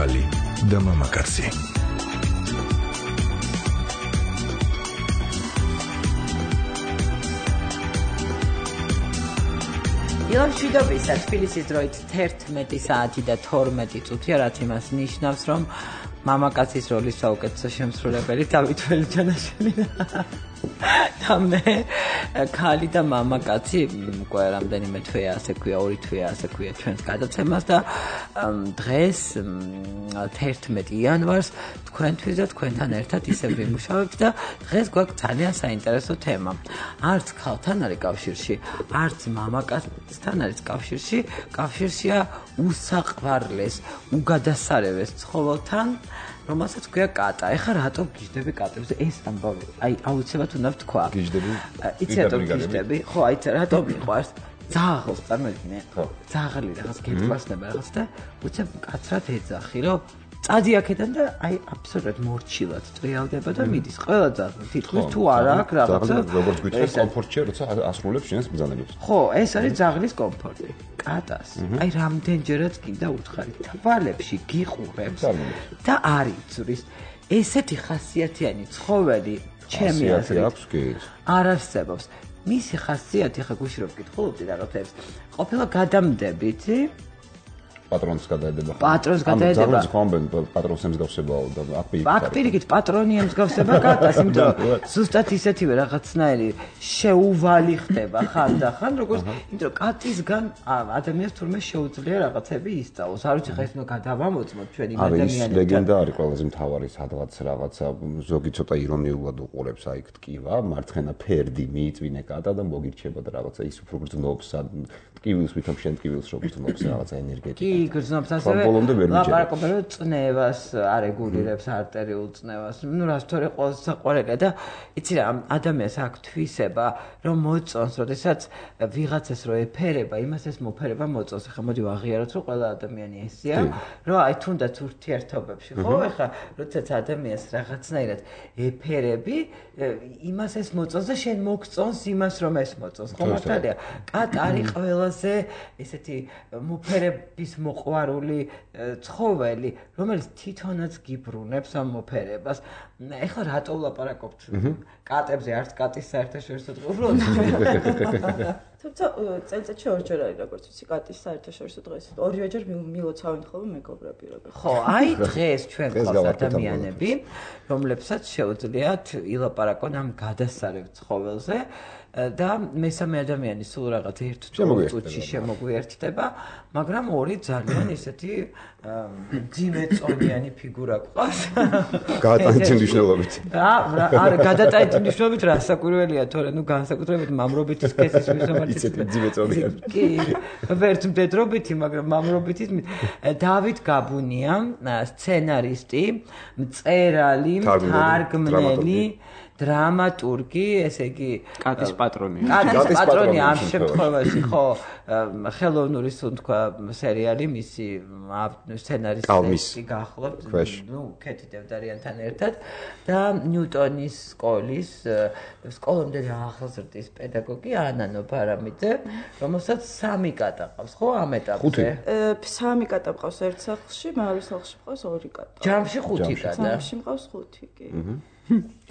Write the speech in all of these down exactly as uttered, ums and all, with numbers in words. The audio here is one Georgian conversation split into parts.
ქალი და მამაკაცი. ილამშვიდობისა, თბილისის დროით თერთმეტი საათი და თორმეტი წუთია, რაც იმას ნიშნავს, რომ მამაკაცის როლის საუკეთესო შემსრულებელი დავით ველიჯანაშვილი და მე ქალი და მამაკაცი უკვე რამდენიმე თვეა, ასე ქვია, ორი თვეა, ასე ქვია ჩვენს გადაცემას და დღეს თერთმეტი იანვარს თქვენთვის და თქვენთან ერთად ისევ ვიმუშავებთ და დღეს გვაქვს ძალიან საინტერესო თემა. არც ქალთან არის კავშირში, არც მამაკაცთან არის კავშირში, კავშირშია უსაყვარლეს, უგადასარევეს ცხოველთან, რომელსაც ქვია კატა. ეხლა რატომ გიждები კატებზე? ეს ამბავი, აი აუცილებლად უნდა ვთქვა. გიждები? იცი რატომ გიждები? ხო, აი რატომ მიყვარს? ძაღლს წარმოიდგინე. ხო. ძაღლი რაღაც გეფასნება რაღაც და უცებ კაცრად ეძახი, რომ წადი აქედან და აი აბსოლუტურად მორჩილად ტრიალდება და მიდის. ყველა ძაღლი თითქოს თუ არა აქვს რაღაცა. როგორც გვითხრეს კომფორტია, როცა ასრულებს შენს ბრძანებებს. ხო, ეს არის ძაღლის კომფორტი. კატას. აი რამდენჯერაც კიდე უთხარი თვალებში გიყურებს და არ იცვრის. ესეთი ხასიათიანი ცხოველი ჩემი აზრით აქვს კი. არ არსებობს. მისი ხასიათი ხა გუშინ რომ ვკითხულობდი რაღაცებს. ყოფილა გადამდებით პატრონს გადაედება. პატრონს გადაედება. ძაღლს ხომბენ პატრონს ემსგავსებაო და აკპირიკ. აკპირიკით პატრონი ემსგავსება კატას, იმიტომ ზუსტად ისეთივე რაღაცნაირი შეუვალი ხდება ხანდახან, როგორც იმიტომ კატისგან ადამიანს თურმე შეუძლია რაღაცები ისწავლოს. არ ვიცი ხა ეს უნდა გადავამოწმოთ ჩვენ იმ ადამიანებთან. არის ლეგენდა არის ყველაზე მთავარი სადღაც რაღაცა ზოგი ცოტა ირონიულად უყურებს აი ტკივა, მარცხენა ფერდი მიიწვინე კატა და მოგირჩება და რაღაცა ის უფრო გრძნობს ტკივილს ვითომ შენ ტკივილს რო გრძნობს რაღაცა ენერგეტიკა. კი, გრძნობს ასევე ლაპარაკობენ რომ წნევას არეგულირებს არტერიულ წნევას. ნუ რას თორე ყველაზე საყვარელია და იცი რა ადამიანს აქვს თვისება რომ მოწონს, როდესაც ვიღაცას რო ეფერება, იმას ეს მოფერება მოწონს. ეხლა მოდი ვაღიაროთ რომ ყველა ადამიანი ესეა, რომ აი თუნდაც ურთიერთობებში, ხო? ეხლა როდესაც ადამიანს რაღაცნაირად ეფერები, იმას ეს მოწონს და შენ მოგწონს იმას რომ ეს მოწონს. ხო მართალია? კატა არის ყველაზე ესეთი მოფერების მოყვარული ცხოველი, რომელიც თვითონაც გიბრუნებს ამ მოფერებას. ეხლა რატო ვლაპარაკობთ კატებზე, არც კატის საერთაშორისო დღე უბრალოდ. თუმცა წელიწადში ორჯერ არის როგორც ვიცი კატის საერთაშორისო დღე. ორივეჯერ მილოცავენ ხოლმე მეგობრები როგორ. ხო, აი დღეს ჩვენ გვყავს ადამიანები, რომლებსაც შეუძლიათ ილაპარაკონ ამ გადასარევ ცხოველზე. და მესამე ადამიანი სულ რაღაც ერთ წუთში შემოგვიერთდება, მაგრამ ორი ძალიან ისეთი ძიმეწონიანი ფიგურა გვყავს. გადატანითი მნიშვნელობით. არა, გადატანითი მნიშვნელობით რა საკვირველია, თორე ნუ განსაკუთრებით მამრობითი სქესის მისამართი. ისეთი ძიმეწონიანი. კი, ვერც მდედრობითი, მაგრამ მამრობითი. დავით გაბუნია, სცენარისტი, მწერალი, თარგმნელი, დრამატურგი, ესე იგი კატის პატრონი. კატის პატრონი ამ შემთხვევაში, ხო, ხელოვნური სუნთქვა სერიალი მისი სცენარისტი გახლავთ, ნუ კეთი დევდარიანთან ერთად და ნიუტონის სკოლის სკოლამდე ახალგაზრდის პედაგოგი ანა ნობარამიძე, რომელსაც სამი კატა ყავს, ხო, ამ ეტაპზე? სამი კატა ყავს ერთ სახლში, მეორე სახლში ყავს ორი კატა. ჯამში ხუთი კატა. ჯამში ყავს ხუთი, კი.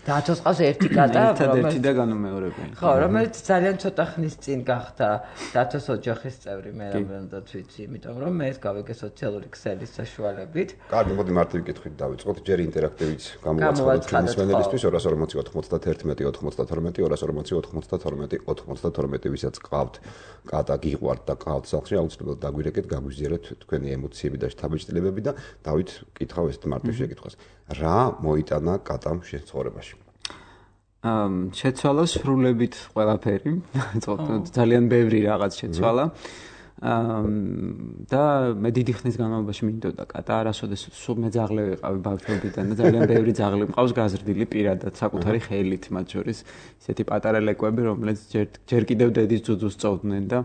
დათოს ყავს ერთი კატა, რომელიც ერთი და განუმეორებელი. ხო, რომელიც ძალიან ცოტა ხნის წინ გახდა დათოს ოჯახის წევრი, მე რამდენადაც ვიცი, იმიტომ რომ მე ეს გავიგე სოციალური ქსელის საშუალებით. კარგი, მოდი მარტივი კითხვით დავიწყოთ. ჯერ ინტერაქტივით გამოვაცხადოთ ჩვენი სვენელისთვის ორას ორმოცი ოთხმოცდათერთმეტი ოთხმოცდათორმეტი ორას ორმოცი ოთხმოცდათორმეტი ოთხმოცდათორმეტი ვისაც ყავთ კატა გიყვართ და ყავთ სახლში, აუცილებლად დაგვირეკეთ, გაგვიზიარეთ თქვენი ემოციები და შთაბეჭდილებები და დავით კითხავ ეს მარტივ შეკითხვას. რა მოიტანა კატამ შენ ცხოვრებაში? ამ შეცვალა სრულებით ყველაფერი, ძალიან ბევრი რაღაც შეცვალა. და მე დიდი ხნის განმავლობაში მინდოდა კატა, არასოდეს სულ მე ძაღლი ვიყავი ბავშვობიდან და ძალიან ბევრი ძაღლი მყავს გაზრდილი პირადად, საკუთარი ხელით, მათ შორის ისეთი პატარა ლეკვები, რომლებიც ჯერ ჯერ კიდევ დედის ძუძუს წოვდნენ და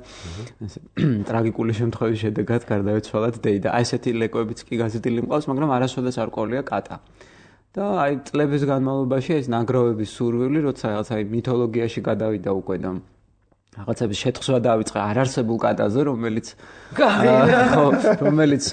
ტრაგიკული შემთხვევის შედეგად გარდაეცვალათ დეი და აი ესეთი ლეკვებიც კი გაზრდილი მყავს, მაგრამ არასოდეს არ ყოლია კატა. და აი წლების განმავლობაში ეს ნაგროვების სურვილი, როცა რაღაც აი მითოლოგიაში გადავიდა უკვე და რაღაცების შეთხზვა დავიწყე არარსებულ კატაზე, რომელიც ხო, რომელიც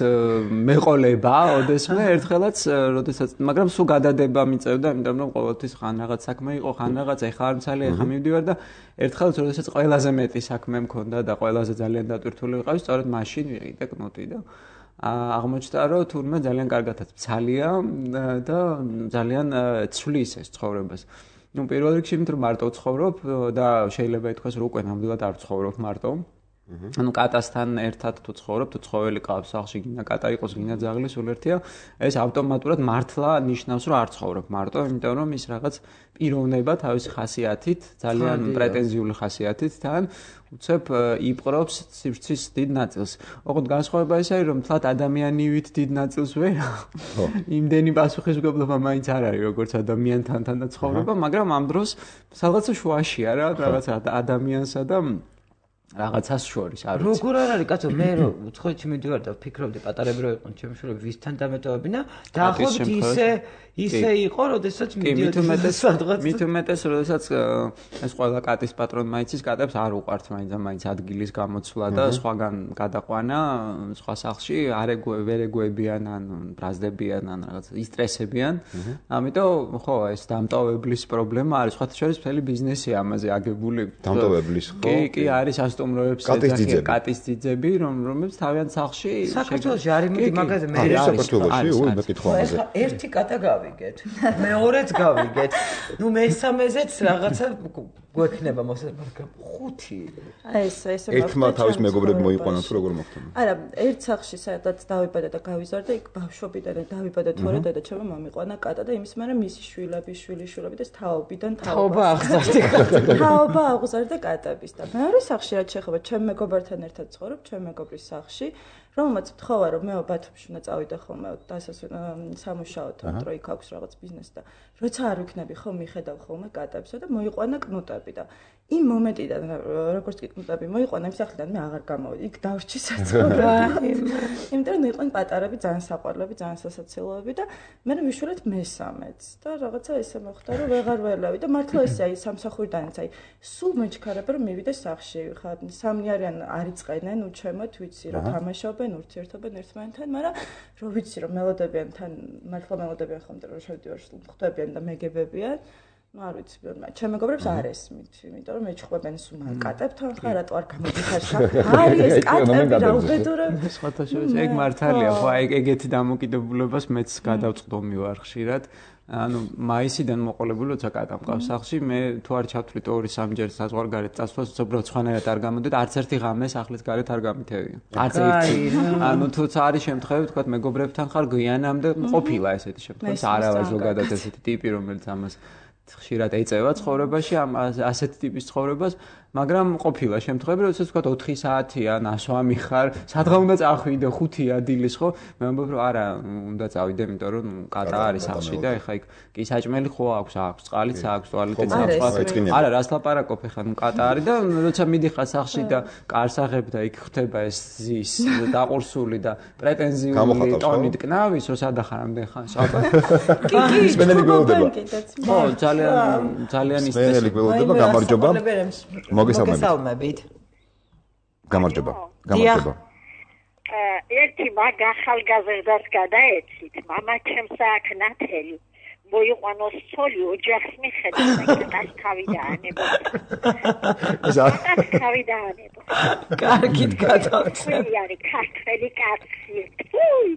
მეყოლება, ოდესმე ერთხელაც, როდესაც, მაგრამ სულ გადადება მიწევდა, იმიტომ რომ ყოველთვის ხან რაღაც საქმე იყო, ხან რაღაც ეხა არ მცალი, ეხა მივდივარ და ერთხელაც, როდესაც ყველაზე მეტი საქმე მქონდა და ყველაზე ძალიან დატვირთული ვიყავი, სწორედ მაშინ ვიყიდე კნუტი და აღმოჩნდა, რომ თურმე ძალიან კარგადაც მცალია და ძალიან ცვლის ეს ცხოვრებას. Ну, პირველ რიგში იმიტომ რომ მარტო ვცხოვრობ და შეიძლება ითქვას რომ უკვე ნამდვილად არ ვცხოვრობ მარტო. ანუ კატასთან ერთად თუ ცხოვრობ, თუ ცხოველი ყავს სახლში, გინდა კატა იყოს, გინდა ძაღლი, სულ ერთია, ეს ავტომატურად მართლა ნიშნავს რომ არ ცხოვრობ მარტო, იმიტომ რომ ის რაღაც პიროვნება თავისი ხასიათით, ძალიან პრეტენზიული ხასიათით თან უცებ იპყრობს სივრცის დიდ ნაწილს. ოღონდ განსხვავება ის არის, რომ თლათ ადამიანივით დიდ ნაწილს ვერ. იმდენი პასუხისმგებლობა მაინც არ არის, როგორც ადამიანთან თან და ცხოვრება, მაგრამ ამ დროს რაღაცა შუაშია რა, რაღაცა ადამიანსა და რაღაცას შორის არ ვიცი. როგორ არ არის კაცო, მე რომ უცხოეთში მივდივარ და ვფიქრობდი პატარები რო იყვნენ ჩემი შვილები ვისთან დამეტოვებინა, დაახლოებით ისე ისე იყო, როდესაც მიდიოდი სადღაც. მით უმეტეს, როდესაც ეს ყველა კატის პატრონმა იცის, კატებს არ უყვართ მაინც და მაინც ადგილის გამოცვლა და სხვაგან გადაყვანა სხვა სახლში, არ ვერ ეგუებიან ან ბრაზდებიან ან რაღაც ისტრესებიან. ამიტომ ხო, ეს დამტოვებლის პრობლემა არის, სხვათა შორის მთელი ბიზნესია ამაზე აგებული. დამტოვებლის ხო? კი, კი, არის სტუმროებს ეძახიან კატის ძიძები, რომ რომლებიც თავიანთ სახლში საქართველოში არის მიდი მაგაზე მე არის საქართველოში, ой, მეკითხვა ამაზე. ეხლა ერთი კატა გავიგეთ, მეორეც გავიგეთ. ნუ მესამეზეც რაღაცა გვექნება მოსება, ხუთი. აი ეს ეს ერთმა თავის მეგობრები მოიყვანა თუ როგორ მოხდა? არა, ერთ სახლში სადაც დავიბადა და გავიზარდა, იქ ბავშვობიდან დავიბადა თორე და ჩემო მომიყვანა კატა და იმის მერე მისი შვილები, შვილიშვილები და თაობიდან თაობა აღზარდა კატა. თაობა აღზარდა კატების და მეორე სახლში რაც შეხება, ჩემ მეგობართან ერთად ცხოვრობ, ჩემ მეგობრის სახლში, რომელმაც თხოვა რომ მე ბათუმში უნდა წავიდე ხოლმე სამუშაოდ, რომ იქ აქვს რაღაც ბიზნესი და როცა არ ვიქნები ხო მიხედავ ხოლმე კატებსა და მოიყვანა კნუტები და იმ მომენტიდან როგორც კი კნუტები მოიყვანა იმ სახლიდან მე აღარ გამოვიდი, იქ დავრჩი საცხოვრებლად. იმიტომ რომ იყვნენ პატარები, ძალიან საყვარლები, ძალიან სასაცილოები და მე ვიშურეთ მესამეც და რაღაცა ესე მოხდა რომ ვეღარ ველავი და მართლა ესე აი სამსახურიდანაც აი სულ მეჩქარება რომ მივიდე სახლში ხა სამი არიან არიწყენენ უჩემოთ ვიცი რომ თამაშობენ ურთიერთობენ ერთმანეთთან, მაგრამ რო ვიცი რომ მელოდებიან თან მართლა მელოდებიან ხომ რომ შევდივარ ხვდებიან და მეგებებიან. ну არ ვიცი, ჩემ მეგობრებს არ ესმით, იმიტომ რომ მეჩხვებენ სულ კატებთან ხარ, რატო არ გამოდიხარ სახე? არის ეს კატები რა უბედურები. სხვათა შორის ეგ მართალია, ხო, აი ეგეთი დამოკიდებულებას მეც გადავწყდომი ვარ ხშირად. ანუ მაისიდან მოყოლებული როცა კატა მყავს სახლში, მე თუ არ ჩავთვლით ორი სამჯერ საზღვარგარეთ წასვლას, უბრალოდ სხვანაირად არ გამოდით, არც ერთი ღამე სახლის გარეთ არ გამითევია. არც ერთი. ანუ თუ არის შემთხვევები, თქვა მეგობრებთან ხარ გვიანამდე ყოფილა ესეთი შემთხვევა, არავარ ზოგადად ესეთი ტიპი, რომელიც ამას ხშირად ეწევა ცხოვრებაში, ამ ასეთ ტიპის ცხოვრებას, მაგრამ ყოფილა შემთხვევები, როდესაც თქვა ოთხი საათია, ნასვამი ხარ, სადღა უნდა წახვიდე, ხუთია დილის, ხო? მე ვამბობ, რომ არა, უნდა წავიდე, იმიტომ რომ კატა არის სახლში და ეხა იქ კი საჭმელი ხო აქვს, აქვს, წყალიც აქვს, ტუალეტიც აქვს. არა, რას ლაპარაკობ ეხა, ნუ კატა არის და როცა მიდიხარ სახლში და კარს აღებ და იქ ხდება ეს ზის დაყურსული და პრეტენზიული ტონით კნავის, რომ სადახარ ამდენ ხანს. კი, კი, სპენელი გველოდება. ხო, ძალიან ძალიან ის სპენელი გველოდება, გამარჯობა. მოგესალმებით. გამარჯობა. გამარჯობა. ერთი მაგ ახალგაზრდას გადაეცით, მამა ჩემს აქ ნათელი. მოიყვანოს ცოლი ოჯახს მიხედავდა, კატას თავი დაანებო. კატას თავი დაანებო. კარგით გადავწე. არის ქართველი კაცი. თუი,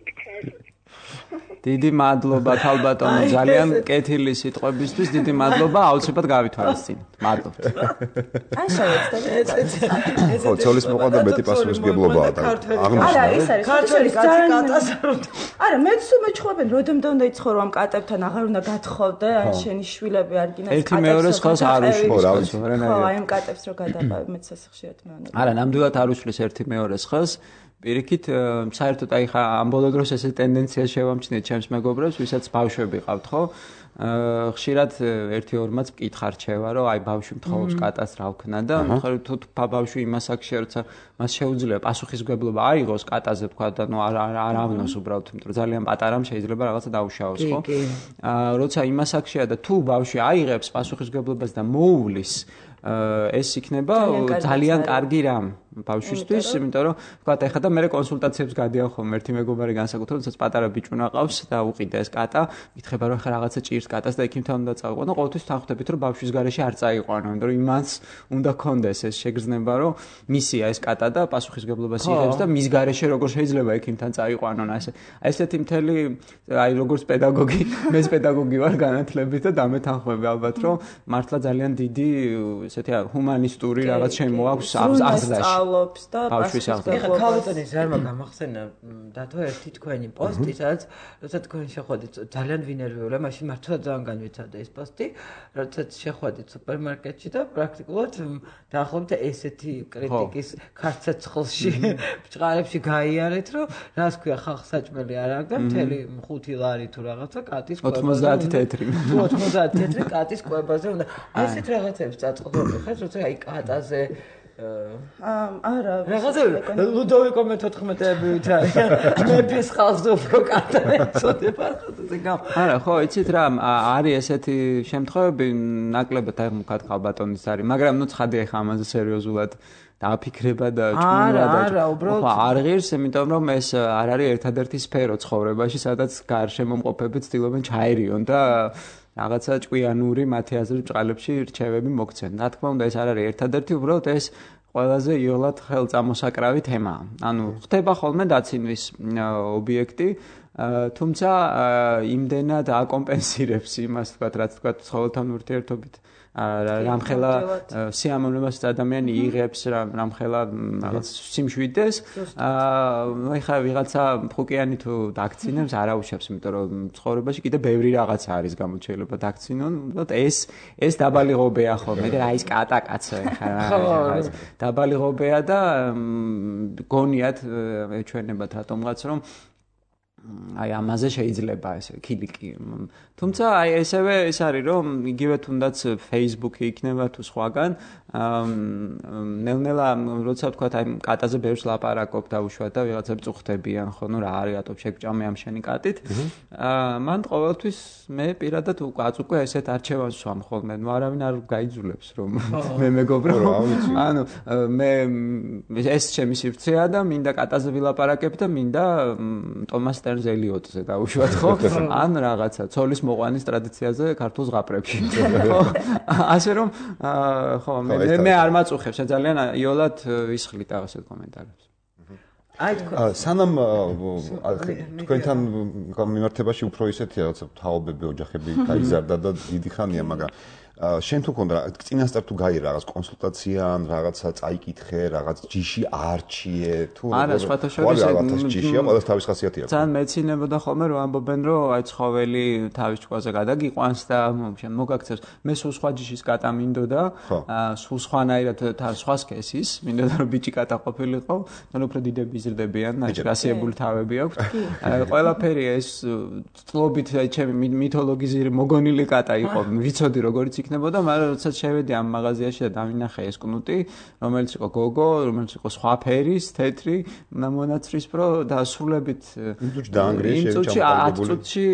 დიდი მადლობა თალბატონო, ძალიან კეთილი სიტყვებისთვის, დიდი მადლობა, აუცილებლად გავითვალისწინებთ. მადლობთ. აი შევეცდები. ხო, ცოლის მოყვა მეტი პასუხისმგებლობაა და აღნიშნა. არა, ეს არის ქართველი კაცი კატას არ უნდა. არა, მეც მეჩხვებენ, როდემდე უნდა იცხოვრო ამ კატებთან, აღარ უნდა გათხოვდე, ან შენი შვილები არ გინას კატებს. ერთი მეორეს ხელს არ უშლის, ხო, აი ამ კატებს რო გადაყავ, მეც ასე ხშირად მეუბნები. არა, ნამდვილად არ უშლის ერთი მეორეს ხელს. პირიქით, საერთოდ აი ხა ამ ბოლო დროს ესე ტენდენცია შევამჩნიეთ ჩემს მეგობრებს, ვისაც ბავშვები ყავთ, ხო? ხშირად ერთიორმაც მკითხა რჩევა, რომ აი ბავშვი მთხოვს კატას რა ვქნა და მხოლოდ თუ ბავშვი იმას აქშია, როცა მას შეუძლია პასუხისმგებლობა აიღოს კატაზე თქვა და ნუ არ არ ავნოს უბრალოდ, იმიტომ რომ ძალიან პატარამ შეიძლება რაღაცა დაუშავოს, ხო? აა როცა იმას აქშია და თუ ბავშვი აიღებს პასუხისმგებლობას და მოუვლის ეს იქნება ძალიან კარგი რამ ბავშვისთვის, იმიტომ რომ თქვა ეხლა და მე კონსულტაციებს გადიან ხოლმე ერთი მეგობარი განსაკუთრებით, როდესაც პატარა ბიჭუნა ყავს და უყიდა ეს კატა, იკითხება რომ ხა რაღაცა ჭირს კატას და ექიმთან უნდა წავიყვანო, ყოველთვის თანხმდებით რომ ბავშვის გარეშე არ წაიყვანო, იმიტომ რომ იმანს უნდა კონდეს ეს შეგრძნება, რომ მისია ეს კატა და პასუხისმგებლობას იღებს და მის გარეშე როგორ შეიძლება ექიმთან წაიყვანონ, ასე. ესეთი მთელი აი როგორც პედაგოგი, მეც პედაგოგი ვარ განათლებით და დამეთანხმები ალბათ, რომ მართლა ძალიან დიდი ესეთი ჰუმანისტური რაღაც შემოაქვს აზრაში. ლობს და პასუხისმგებლობას. ეხლა ქალბატონის რამო გამახსენა დათო ერთი თქვენი პოსტი, სადაც როცა თქვენ შეხვედით ძალიან ვინერვიულა, მაშინ მართლა ძალიან განვიცადა ეს პოსტი, როდესაც შეხვედით სუპერმარკეტში და პრაქტიკულად დაახლოებით ესეთი კრიტიკის ქარცეცხლში ბჭყალებში გაიარეთ, რომ რას ქვია ხალხსაჭმელი არ აქვს და მთელი ხუთი ლარი თუ რაღაცა კატის კვებაზე ოცდაათი თეთრი. ოცდაათი თეთრი კატის კვებაზე უნდა. ესეთ რაღაცებს წაწყობდი ხარ, როცა აი კატაზე არა რაღაცა ლუდოვიკო მეთოთხმეტეებით არის მეფის ხალხზე უფრო კატა ეწოდება ხაზე გამ არა ხო იცით რა არის ესეთი შემთხვევები ნაკლებად აი მქად ხალბატონის არის მაგრამ ნუ ცხადია ხა ამაზე სერიოზულად დააფიქრება და ჭკუნა და ხო არ ღირს იმიტომ რომ ეს არ არის ერთადერთი სფერო ცხოვრებაში სადაც გარშემომყოფები ცდილობენ ჩაერიონ და რაღაცა ჭკვიანური მათი აზრით ბჭყალებში რჩევები მოგცენ. რა თქმა უნდა ეს არ არის ერთადერთი, უბრალოდ ეს ყველაზე იოლად ხელწამოსაკრავი თემაა. ანუ ხდება ხოლმე დაცინვის ობიექტი, თუმცა იმდენად აკომპენსირებს იმას, თქვათ, რაც თქვათ ცხოველთან ურთიერთობით რამხელა სიამოვნებას ადამიანი იღებს რამხელა რაღაც სიმშვიდეს აი ხა ვიღაცა ფუკიანი თუ დაქცინებს არაუშავს იმიტომ რომ ცხოვრებაში კიდე ბევრი რაღაცა არის გამოჩეილება დაქცინონ უბრალოდ ეს ეს დაბალი ღობეა ხოლმე და აი ეს კატა კაცო ხა დაბალი ღობეა და გონიათ ეჩვენებათ რატომღაც რომ აი ამაზე შეიძლება ეს ქილიკი. თუმცა აი ესევე ეს არის რომ იგივე თუნდაც Facebook-ი იქნება თუ სხვაგან ნელ-ნელა როცა თქვა აი კატაზე ბევრს ლაპარაკობ და უშუალოდ და ვიღაცები წუხდებიან ხო ნუ რა არის რატომ შეგჭამე ამ შენი კატით. აა მან ყოველთვის მე პირადად უკაც უკვე ესეთ არჩევანს ვსვამ ხოლმე. ნუ არავინ არ გაიძულებს რომ მე მეგობრო. ანუ მე ეს ჩემი სივრცეა და მინდა კატაზე ვილაპარაკებ და მინდა ტომას ელიოტზე დაუშვათ ხო? ან რაღაცა ცოლის მოყვანის ტრადიციაზე ქართულ ზღაპრებში. ხო? ასე რომ ხო მე მე არ მაწუხებს, ძალიან იოლად ისხლით ასეთ კომენტარებს. აი თქვენ სანამ თქვენთან მიმართებაში უფრო ისეთი რაღაცა თაობები ოჯახები გაიზარდა და დიდი ხანია, მაგრამ შენ თუ ქონდა წინასწარ თუ გაი რაღაც კონსულტაცია ან რაღაცა წაიკითხე, რაღაც ჯიში არჩიე თუ არა, სხვათა შორის ჯიშია, ყველას თავის ხასიათი აქვს. ძალიან მეცინებოდა ხოლმე რომ ამბობენ რომ აი ცხოველი თავის ჭკუაზე გადაგიყვანს და შენ მოგაქცევს. მე სულ სხვა ჯიშის კატა მინდოდა, სულ სხვანაირად სხვა სქესის, მინდოდა რომ ბიჭი კატა ყოფილიყო, თან უფრო დიდები იზრდებიან, ნაჭრასიებული თავები აქვთ. ყველაფერი ეს წლობით ჩემი მითოლოგიზირ მოგონილი კატა იყო, ვიცოდი როგორიც იქნებოდა, მაგრამ როდესაც შევედი ამ მაღაზიაში და დავინახე ეს კნუტი, რომელიც იყო გოგო, რომელიც იყო სხვა ფერის, თეთრი, მონაცრისფრო და სრულებით იმ წუთში ათ წუთში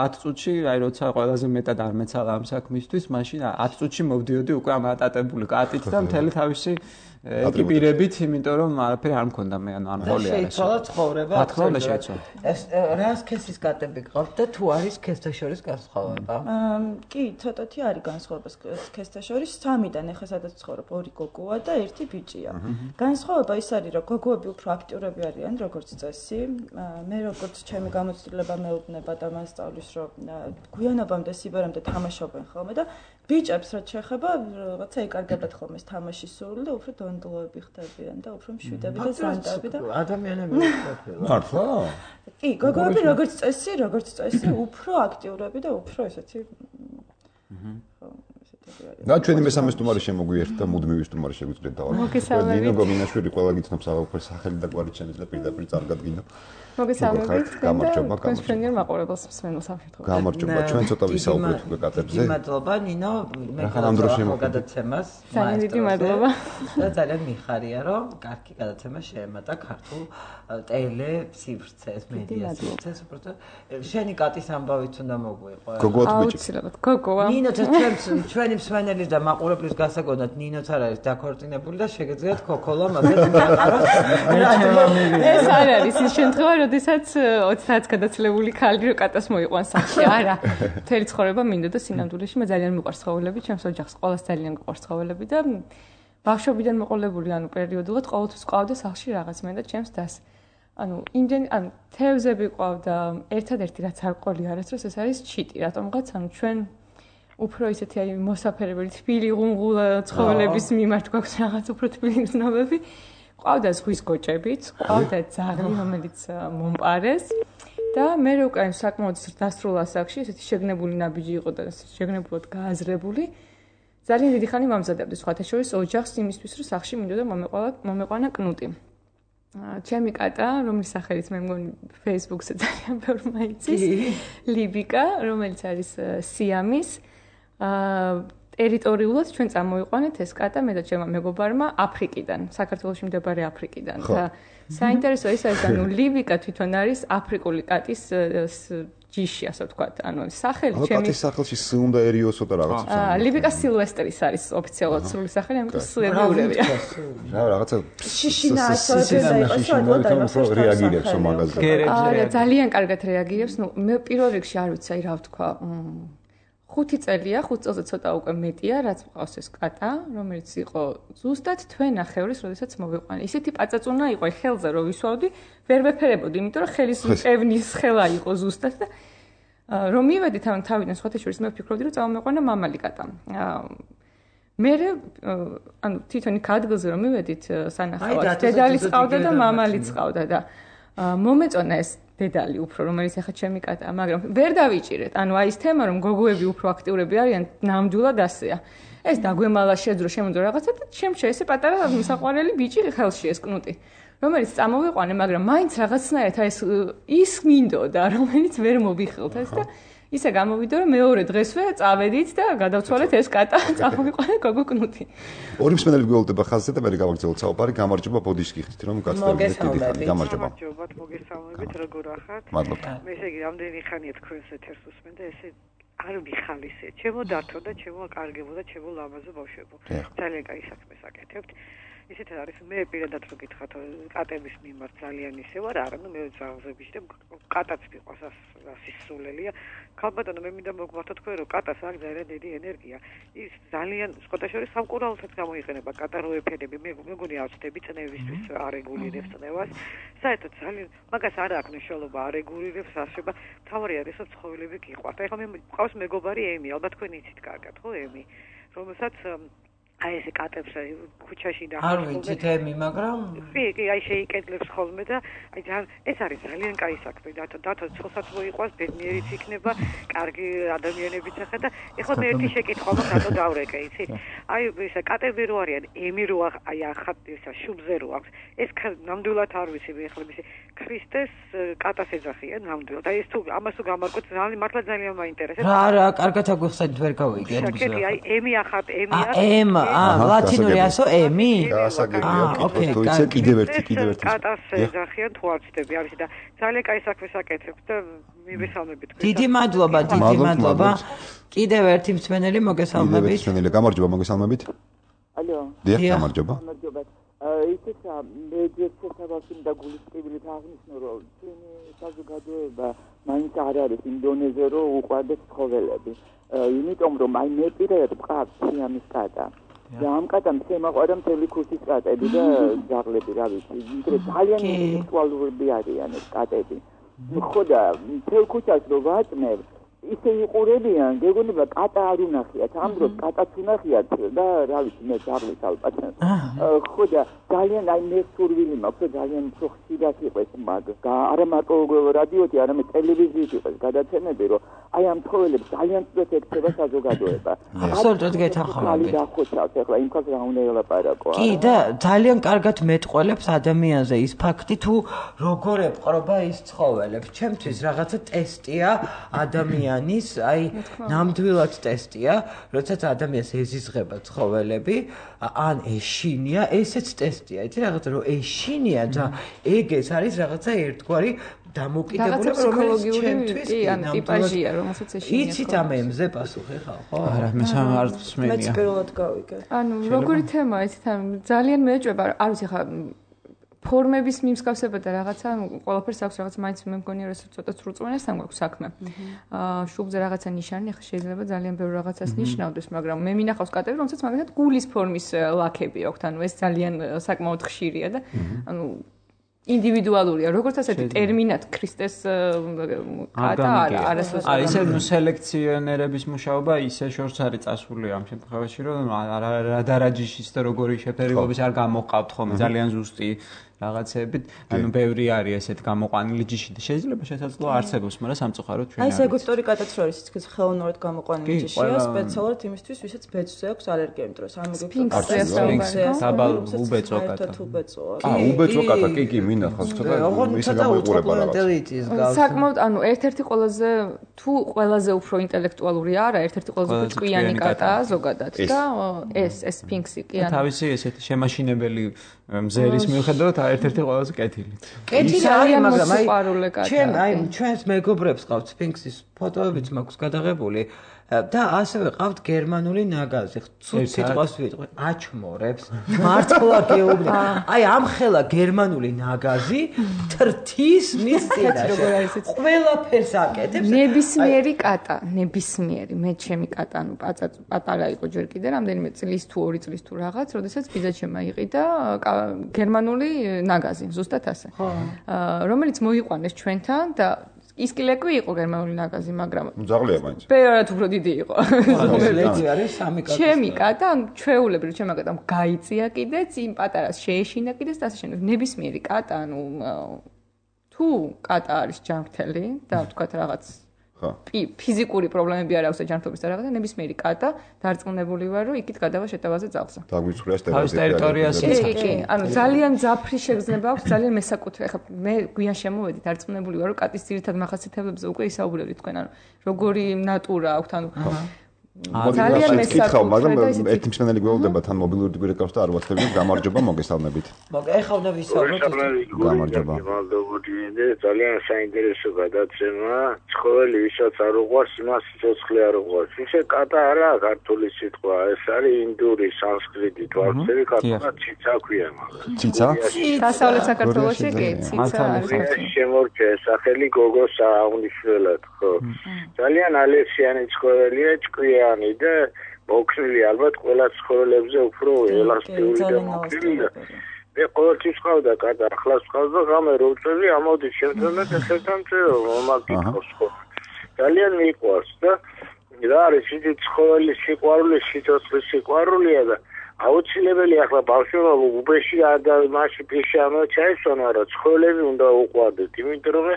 ათ წუთში, აი როცა ყველაზე მეტად არ მეცალა ამ საქმისთვის, მაშინ ათ წუთში მოვდიოდი უკვე ამ ატატებული კატით და მთელი თავისი ეკიპირებით, იმიტომ რომ არაფერი არ მქონდა მე, ანუ არ მყოლია ეს. შეიცვალა ცხოვრება. რა თქმა უნდა შეიცვალა. ეს რა სქესის კატები გყავთ და თუ არის სქესთა შორის განსხვავება? კი, ცოტათი არის განსხვავება სქესთა შორის. სამიდან ეხლა სადაც ცხოვრობ ორი გოგოა და ერთი ბიჭია. განსხვავება ის არის, რომ გოგოები უფრო აქტიურები არიან, როგორც წესი. მე როგორც ჩემი გამოცდილება მეუბნება და მასწავლის, რომ გვიანობამდე სიბერამდე თამაშობენ ხოლმე და ბიჭებს რაც შეეხება, რაღაცა ეკარგებათ ხოლმე თამაშის სურვილი და უფრო დონდლოები ხდებიან და უფრო მშვიდები და ზანდები და ადამიანები მართლა. მართლა? კი, გოგოები როგორც წესი, როგორც წესი, უფრო აქტიურები და უფრო ესეთი კატები არიან. და ჩვენი მესამე სტუმარი შემოგვიერთდა, მუდმივი სტუმარი შეგვიძლია დავარქვა. მოგესალმებით. ნინო გომინაშვილი ყველა გიცნობს აღარ სახელი და გვარი შეიძლება პირდაპირ წარგადგინო. მოგესალმებით. გამარჯობა, თქვენს ფრენგერ მაყურებელს მსმენელს ამშვენებთ. გამარჯობა, ჩვენ ცოტა ვისაუბრეთ უკვე კატებზე. მადლობა ნინო, მე რახან ამ დროს შემოგვიერთდა გადაცემას. ძალიან დიდი მადლობა. და ძალიან მიხარია, რომ კარგი გადაცემა შეემატა ქართულ ტელესივრცეს, მედია სივრცეს, უბრალოდ შენი კატის ამბავით უნდა მოგვიყო. გოგოათ ბიჭი. აუცილებლად, გოგოა. ნინო ჩვენს ჩვენი მსმენელის და მაყურებლის გასაგონად ნინოც არ არის დაქორწინებული და შეგეძლიათ ქოქოლა მაგათ მიაყაროს. ეს არ არის ის შემთხვევა, როდესაც ოცდაათს გადაცლებული ქალი რო კატას მოიყვანს სახში. არა. მთელი ცხოვრება მინდოდა და სინამდვილეში მე ძალიან მიყვარს ცხოველები, ჩემს ოჯახს ყოველს ძალიან მიყვარს ცხოველები და ბავშვობიდან მოყოლებული, ანუ პერიოდულად ყოველთვის ყავდა სახში რაღაც მე და ჩემს დას. ანუ იმდენ ანუ თევზები ყავდა, ერთადერთი რაც არ ყოლი არასდროს ეს არის ჩიტი, რატომღაც ანუ ჩვენ უფრო ისეთი აი მოსაფერებელი თბილი ღუნღულა ცხოველების მიმართ გვაქვს რაღაც უფრო თბილი გრძნობები. ყავდა ზღვის გოჭებიც, ყავდა ძაღლი, რომელიც მომპარეს და მე რო უკვე საკმაოდ დასრულა ასაკში, ესეთი შეგნებული ნაბიჯი იყო და შეგნებულად გააზრებული. ძალიან დიდი ხანი მომზადებდი სხვათა შორის ოჯახს იმისთვის, რომ სახში მინდოდა მომეყოლა მომეყვანა კნუტი. ჩემი კატა, რომლის სახელით მე მგონი Facebook-ზე ძალიან ბევრი მაიცის, ლიბიკა, რომელიც არის სიამის. ტერიტორიულად ჩვენ წამოიყვანეთ ეს კატა მე და ჩემმა მეგობარმა აფრიკიდან, საქართველოში მდებარე აფრიკიდან. და საინტერესო ის არის, ანუ ლიბიკა თვითონ არის აფრიკული კატის ჯიში, ასე ვთქვათ. ანუ სახელი ჩემი კატის სახელში ს უნდაერიოსო და რაღაც. აა ლიბიკა სილვესტრის არის ოფიციალურად სრული სახელი, ამიტომ სუებურებია. რა რაღაცა შიშინა ასოთე და იყოს რომ რეაგირებს მაგაზე. არა, ძალიან კარგად რეაგირებს. ნუ მე პირველ რიგში არ ვიცი, რა ვთქვა. ხუთი წელია, ხუთ წელზე ცოტა უკვე მეტია, რაც მყავს ეს კატა, რომელიც იყო ზუსტად თვე ნახევრის, როდესაც მოვიყვანე. ისეთი პაწაწუნა იყო, ხელზე რო ვისვავდი, ვერ ვეფერებოდი, იმიტომ რომ ხელის პევნის ხელა იყო ზუსტად და რომ მივედით ამ თავიდან სხვათა შორის მე ვფიქრობდი, რომ წამომეყვანა მამალი კატა. მე ანუ თვითონ იქ ადგილზე რომ მივედით სანახავად, დედალიც ყავდა და მამალიც ყავდა და მომეწონა ეს დედალი უფრო, რომელიც ახლა ჩემი კატაა, მაგრამ ვერ დავიჭირეთ. ანუ აი ეს თემა, რომ გოგოები უფრო აქტიურები არიან, ნამდვილად ასეა. ეს დაგვემალა შეძრო შემოძრო რაღაცა და შემჩა ესე პატარა მსაყვარელი ბიჭი ხელში ეს კნუტი, რომელიც წამოვიყვანე, მაგრამ მაინც რაღაცნაირად აი ეს ის მინდოდა, რომელიც ვერ მოვიხილთ ეს და ისე გამოვიდა, რომ მეორე დღესვე წავედით და გადავცვალეთ ეს კატა, წამოვიყვანე გოგო კნუტი. ორი მსმენელი გველდება ხაზზე და მე გავაგრძელოთ საუბარი. გამარჯობა ბოდიშკი ხით რომ გაცდებით დიდი ხანი. გამარჯობა. გამარჯობათ, მოგესალმებით, როგორ ახართ? მადლობა. მე ესე იგი რამდენი ხანია თქვენს ეთერს უსმენ და ესე არ მიხალისე. ჩემო დართო და ჩემო კარგებო და ჩემო ლამაზო ბავშვებო. ძალიან კაი საქმეს აკეთებთ. ისეთ არის მე პირადად რო გითხრათ კატების მიმართ ძალიან ისე ვარ, არა, ნუ მე ზაღზები და კატაც მიყვარს ასისულელია. ქალბატონო მე მინდა მოგმართო თქვენ რომ კატას აქვს ძალიან დიდი ენერგია. ის ძალიან სხვათა შორის სამკურნალოსაც გამოიყენება კატა რო ეფერები. მე მეგონი ავწდები წნევისთვის არეგულირებს წნევას. საერთოდ ძალიან მაგას არ აქვს მნიშვნელობა არეგულირებს ასება. თავარი არის რომ ცხოველები გიყვართ. ეხლა მე მყავს მეგობარი ემი, ალბათ თქვენ იცით კარგად, ხო ემი, რომელსაც აი ესე კატებს ქუჩაში და არ ვიცით ემი, მაგრამ კი, კი, აი შეიკედლებს ხოლმე და აი ძალიან ეს არის ძალიან კაი საქმე. დათო დათო ცხოსაც მოიყვანს, ბედნიერიც იქნება, კარგი ადამიანებიც ახლა და ეხლა მე ერთი შეკითხვა მაქვს, რატო დავრეკე, იცით? აი ესა კატები რო არიან, ემი რო აი ახლა ესა შუბზე რო აქვს. ეს ნამდვილად არ ვიცი, მე ეხლა ისე ქრისტეს კატას ეძახიან ნამდვილად. აი ეს თუ ამას თუ გამარკვეთ, ძალიან მართლა ძალიან მაინტერესებს. რა რა, კარგად აგვიხსენით, ვერ გავიგე. კი, აი ემი ახლა ემი აქვს. ემ აა ლათინური ასო ემი? გასაგებია, კითხო, ისე კიდევ ერთი, კიდევ ერთი. კატას ეძახიან თუ არ ვცდები, არის და ძალიან კაი საქმეს აკეთებთ და მივესალმებით თქვენ. დიდი მადლობა, დიდი მადლობა. კიდევ ერთი მსმენელი მოგესალმებით. მსმენელი, გამარჯობა, მოგესალმებით. ალო. დიახ, გამარჯობა. გამარჯობა. ისეცა მე ძირცესავაში და გულისყრებით აღნიშნო რომ ჩვენი საზოგადოება მაინც არ არის ინდონეზე რომ უყვარდეს ცხოველები. იმიტომ რომ აი მე პირადად ვყავ სიამის კატა. და ამ კატამ შემაყვარა მთელი ქუსის კატები და ძაღლები, რა ვიცი, ვიდრე ძალიან ინტელექტუალურები არიან ეს კატები. ხო და მთელ ქუჩას რო ვაწნევ, ისე იყურებიან, გეგონება კატა არ უნახიათ, ამ დროს კატაც უნახიათ და რა ვიცი, მე ძაღლით ალბათ. ხო და ძალიან აი მე სურვილი მაქვს ძალიან უფრო ხშირად იყოს მაგ არა მარტო რადიოთი არამედ ტელევიზიით იყოს გადაცემები რომ აი ამ ცხოველებს ძალიან სწორად ექცევა საზოგადოება აბსოლუტურად გეთანხმებით დახოცავს ახლა იმ ხალხს რა უნდა ელაპარაკო კი და ძალიან კარგად მეტყველებს ადამიანზე ის ფაქტი თუ როგორ ეპყრობა ის ცხოველებს ჩემთვის რაღაცა ტესტია ადამიანის აი ნამდვილად ტესტია როდესაც ადამიანს ეზიზღება ცხოველები ან ეშინია ესეც ტესტია იცი რაღაცა რომ ეშინია და ეგ ეს არის რაღაცა ერთგვარი დამოკიდებული რომელიც ჩემთვის კი ან ტიპაჟია რომელსაც ეშინია იცით ამ ემზე პასუხი ხარ ხო არა მე სამართ მსმენია მეც პირველად გავიგე ანუ როგორი თემაა იცით ამ ძალიან მეეჭვება არ ვიცი ხა ფორმების მიმსგავსება და რაღაცა ყველაფერს აქვს რაღაც მაინც მე მგონია რომ ცოტა სრულწმენასთან გვაქვს საქმე. აა შუბზე რაღაცა ნიშანი ახლა შეიძლება ძალიან ბევრ რაღაცას ნიშნავდეს, მაგრამ მე მინახავს კატები, რომელსაც მაგალითად გულის ფორმის ლაქები აქვს, ანუ ეს ძალიან საკმაოდ ხშირია და ანუ ინდივიდუალურია, როგორც ასეთი ტერმინად ქრისტეს კატა არა, არასდროს. აი ესე ნუ სელექციონერების მუშაობა ისე შორს არის წასული ამ შემთხვევაში, რომ რა დარაჯიშის და როგორი შეფერილობის არ გამოყავთ ხოლმე, ძალიან ზუსტი რაღაცებით, ანუ ბევრი არის ესეთ გამოყვანილი ჯიში და შეიძლება შესაძლოა არსებობს, მაგრამ სამწუხაროდ ჩვენ აი ეს ეგვიპტური კატაც რო არის, ის ხელოვნურად გამოყვანილი ჯიშია, სპეციალურად იმისთვის, ვისაც ბეწვზე აქვს ალერგია, იმიტომ რომ ამ ეგვიპტური დაბალ უბეწო კატა. აა უბეწო კატა, კი კი მინახავს, ცოტა ისე გამოიყურება რაღაც. საკმაოდ, ანუ ერთ-ერთი ყველაზე თუ ყველაზე უფრო ინტელექტუალური არა, ერთ-ერთი ყველაზე უფრო ჭკვიანი კატაა ზოგადად და ეს ეს სფინქსი კი ანუ თავისი ესეთი შემაშინებელი მზერის მიუხედავად ერთ-ერთი ყველაზე კეთილი. კეთილი არის, მაგრამ აი ჩვენ აი ჩვენს მეგობრებს ყავთ სფინქსის ფოტოებიც მაქვს გადაღებული და ასევე ყავთ გერმანული ნაგაზი. ცუდ სიტყვას ვიტყვი, აჩმორებს, მართლა გეუბნები. აი ამ ხელა გერმანული ნაგაზი თრთის მის წინაშე. ყველაფერს აკეთებს. ნებისმიერი კატა, ნებისმიერი, მე ჩემი კატა, ანუ პატარა იყო ჯერ კიდე, რამდენიმე წლის თუ ორი წლის თუ რაღაც, როდესაც ბიძაჩემმა იყიდა გერმანული ნაგაზი, ზუსტად ასე. რომელიც მოიყვანეს ჩვენთან და ის კილეკი იყო გერმანული ნაგაზი, მაგრამ ძაღლია მაინც. ბევრად უფრო დიდი იყო. ლედი არის სამი კატა. ჩემი კატა, ჩვეულებრივ ჩემი კატამ გაიწია კიდეც, იმ პატარას შეეშინა კიდეც და ასე შემდეგ. ნებისმიერი კატა, ანუ თუ კატა არის ჯანმრთელი და ვთქვათ რაღაც ხა ფიზიკური პრობლემები არ აქვს ჯანმრთობის და რაღაცა ნებისმიერი კატა დარწმუნებული ვარ რომ იქით გადავა შეტევაზე ძაღლზე. დაგვიცხრეს ტერიტორიაზე. კი, კი, ანუ ძალიან ძაფრი შეგრძნება აქვს, ძალიან მესაკუთრე. ხა მე გვიან შემოვედი დარწმუნებული ვარ რომ კატის ძირითად მახასიათებლებზე უკვე ისაუბრებდით თქვენ, ანუ როგორი ნატურა აქვს, ანუ ძალიან მესაკუთრე, მაგრამ ერთი მსმენელი გველოდება თან მობილური გვირეკავს და არ ვახდებით, გამარჯობა, მოგესალმებით. ეხლა უნდა ვისაუბროთ. გამარჯობა. ძალიან საინტერესო გადაცემა. ცხოველი ვისაც არ უყვარს, იმას სიცოცხლე არ უყვარს. ისე კატა არა ქართული სიტყვა, ეს არის ინდური, სანსკრიტი, თვალწერი კატა ციცა ქვია მაგას. ციცა? დასავლეთ საქართველოში კი, ციცა არის. შემორჩა სახელი გოგოს აღნიშნულად, ხო. ძალიან ალერსიანი ცხოველია, ჭკვია და მოქნილი ალბათ ყველა ცხოველებზე უფრო ელასტიური და მოქნილი და მე ყოველთვის ყავდა კატა, ახლაც ყავდა ღამე რო წელი ამოდი შემდგომ და ესეთან მომაკითხავს ხო ძალიან მიყვარს და რა არის ის ცხოველის სიყვარული სიცოცხლის სიყვარულია და აუცილებელი ახლა ბავშვობა უბეში და მასში ფიში ამოჩაისონა რა ცხოველები უნდა უყვარდეთ იმიტომ რომ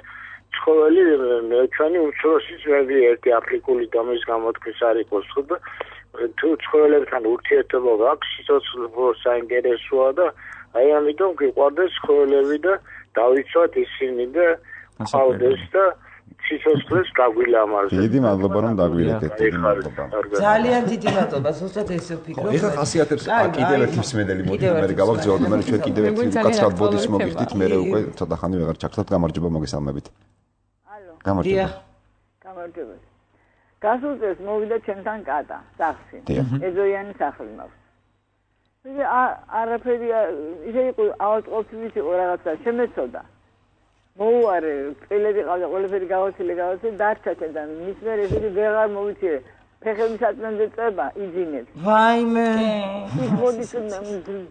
ცხოველი მე ჩვენი უმცროსი ძმები ერთი აფრიკული დამის გამოთქმის არ იყოს ხო და თუ ცხოველებთან ურთიერთობა გაქვს სიცოცხლე საინტერესოა და აი ამიტომ გიყვარდეს ცხოველები და დავიცვათ ისინი და ყავდეს და სიცოცხლეს გაგვილამაზეს. დიდი მადლობა რომ დაგვირეკეთ. ძალიან დიდი მადლობა, ზუსტად ესე ვფიქრობ. ეხლა ხასიათებს კიდევ ერთი მსმენელი მოდი მე გავაგზავნოთ, მე ჩვენ კიდევ ერთი კაცად ბოდის მოგიხდით, მე უკვე ცოტა ხანი ვეღარ ჩაგხსნათ, გამარჯობა, მოგესალმებით. ალო. გამარჯობა. გამარჯობა. გასულ წელს მოვიდა ჩემთან კატა, სახლში. ეზოიანი სახლი მაქვს. ისე არაფერი ისე იყო ავადმყოფის იყო რაღაცა შემეცოდა. მოუარე, წელები ყავდა, ყველაფერი გავაცილე, გავაცილე, დარჩა და მის მერე ისე ვეღარ მოვიცილე. ფეხები საწმენდე წება, იძინებს. ვაიმე. ის მოდის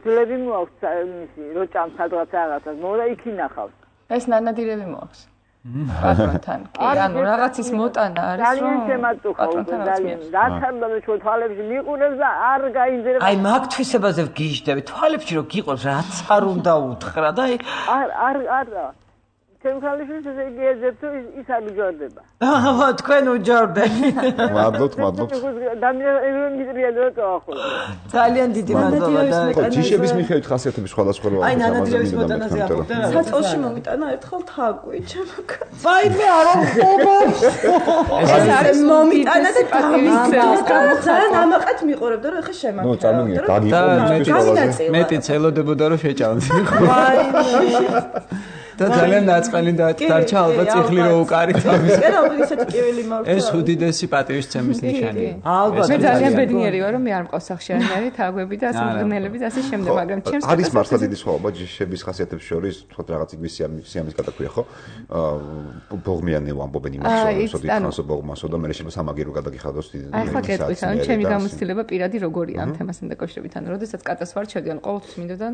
ძლები მოაქვს მისი, როჭამ სადღაც რაღაცას, მოვიდა იქ ინახავს. ეს ნანადირები მოაქვს. პატრონთან. კი, ანუ რაღაცის მოტანა არის, რომ ძალიან შემაწუხა უკვე ძალიან. დათარდა ჩვენ თვალებში მიყურებს და არ გაიძერება. აი მაგ თვისებაზე ვგიჟდები, თვალებში რომ გიყოს რაც არ უნდა უთხრა და აი არ არ არა. ჩემ ხალხის ესე იგი ეძებს თუ ის არ უჯორდება. აჰა, თქვენ უჯორდეთ. მადლობთ, მადლობთ. ძალიან დიდი მადლობა და ჯიშების მიხედვით ხასიათების სხვადასხვა როა. აი ნანადირების მოტანაზე აღვდა რა. საწოლში მომიტანა ერთხელ თაგვი, ჩემო კაცო. ვაიმე არა ხობა. ეს არის მომიტანა და გამიწევს. ძალიან ამაყად მიყურებდა რომ ახლა შემაქრა. ნუ წარმოგიდგენთ, დაგიყო მეტიც ელოდებოდა რომ შეჭამს. ვაიმე. და ძალიან ნაწყელი დარჩა ალბათ ციხლი რო უკარი თავის. კერავ ისეთი კივილი მოვწვა. ეს უდიდესი პატივისცემის ნიშანია. ალბათ. მე ძალიან ბედნიერი ვარ რომ მე არ მყავს სახშიანარი თაგვები და ასე მღნელები და ასე შემდეგ, მაგრამ ჩემს არის მართლა დიდი სხვაობა ჯიშების ხასიათებს შორის, თქო რაღაც იგივე სიამის გადაკვია ხო? აა ბოღმიანი ვამბობენ იმას, რომ სოდი ხანსო ბოღმასო და მე შეიძლება სამაგირო გადაგიხადოს დიდი. აი ხო კეთილს, ანუ ჩემი გამოცდილება პირადი როგორია ამ თემასთან დაკავშირებით, ანუ როდესაც კატას ვარ შევდიან ყოველთვის მინდოდა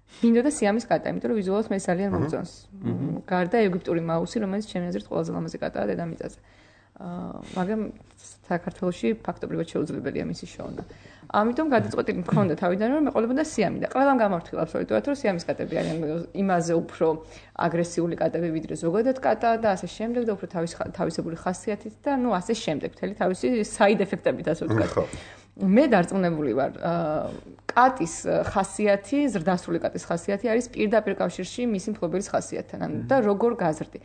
მინდოდა სიამის კატა, იმიტომ რომ ვიზუალურად მე ძალიან მომწონს. გარდა ეგვიპტური მაუსი, რომელიც ჩემი აზრით ყველაზე ლამაზი კატაა დედამიწაზე. აა მაგრამ საქართველოში ფაქტობრივად შეუძლებელია მისი შოვნა. ამიტომ გადაწყვეტილი მქონდა თავიდან რომ მეყოლებოდა სიამი და ყველამ გამართულა აბსოლუტურად რომ სიამის კატები არიან იმაზე უფრო აგრესიული კატები ვიდრე ზოგადად კატა და ასე შემდეგ და უფრო თავის თავისებური ხასიათით და ნუ ასე შემდეგ მთელი თავისი საიდ ეფექტებით ასე ვთქვათ. მე დარწმუნებული ვარ კატის ხასიათი, ზრდასრული კატის ხასიათი არის პირდაპირ კავშირში მისი მფლობელის ხასიათთან. ანუ და როგორ გაზრდი.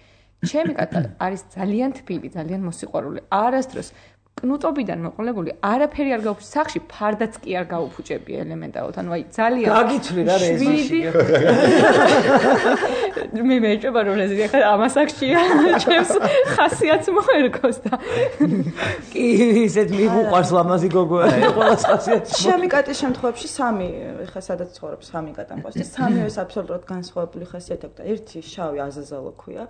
ჩემი კატა არის ძალიან თბილი, ძალიან მოსიყვარული. არასდროს კნუტობიდან მოყოლებული არაფერი არ გაუფუჭებს სახში, ფარდაც კი არ გაუფუჭები ელემენტარულად. ანუ აი ძალიან გაგიცვლი რა რეზიში. მე მეჭება რომ რეზი ახლა ამას აქშია ჩემს ხასიათს მოერგოს და კი ისეთ მიგუყარს ლამაზი გოგო არის ყველა ხასიათი. ჩემი კატის შემთხვევაში სამი ხა სადაც ცხოვრობს სამი კატა მყავს და სამივეს აბსოლუტურად განსხვავებული ხასიათი აქვს და ერთი შავი აზაზალო ქვია.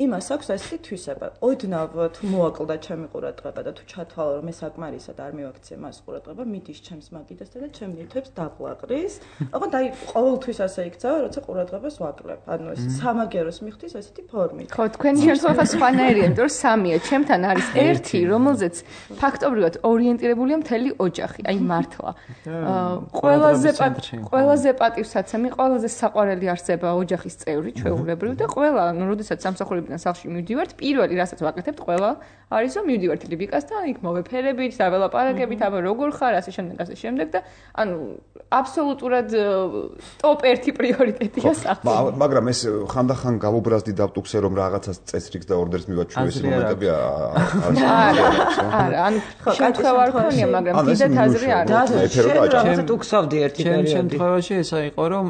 იმას აქვს ასეთი თვისება. ოდნავ თუ მოაკლდა ჩემი ყურადღება და თუ ჩათვალა რომ ეს საკმარისად არ მივაქცე მას ყურადღება, მიდის ჩემს მაგიდასთან და ჩემ ნივთებს დაბლაყრის. ოღონდ აი ყოველთვის ასე იქცევა, როცა ყურადღებას ვაკლებ. ანუ ეს სამაგეროს მიხდის ასეთი ფორმით. ხო, თქვენი შემთხვევა სხვანაირია, იმიტომ რომ სამია. ჩემთან არის ერთი, რომელზეც ფაქტობრივად ორიენტირებულია მთელი ოჯახი. აი მართლა. ყველაზე ყველაზე პატივსაცემი, ყველაზე საყვარელი არსება ოჯახის წევრი, ჩვეულებრივ და ყველა, ანუ როდესაც სამსახური სახში მივდივართ, პირველი რასაც ვაკეთებთ ყველა არის რომ მივდივართ ლიბიკასთან, იქ მოვეფერებით, დაველაპარაკებით, აბა როგორ ხარ, ასე შემდეგ, ასე შემდეგ და ანუ აბსოლუტურად ტოპ ერთი პრიორიტეტია სახში. მაგრამ ეს ხანდახან გავუბრაზდი დავტუქსე რომ რაღაცას წესრიგს და ორდერს მივაჩვევ ეს მომენტები არა, არა, ანუ შემთხვევა არ ქონია, მაგრამ დიდად აზრი არ აქვს. ჩემ ტუქსავდი ერთი პერიოდი. ჩემ შემთხვევაში ესა იყო რომ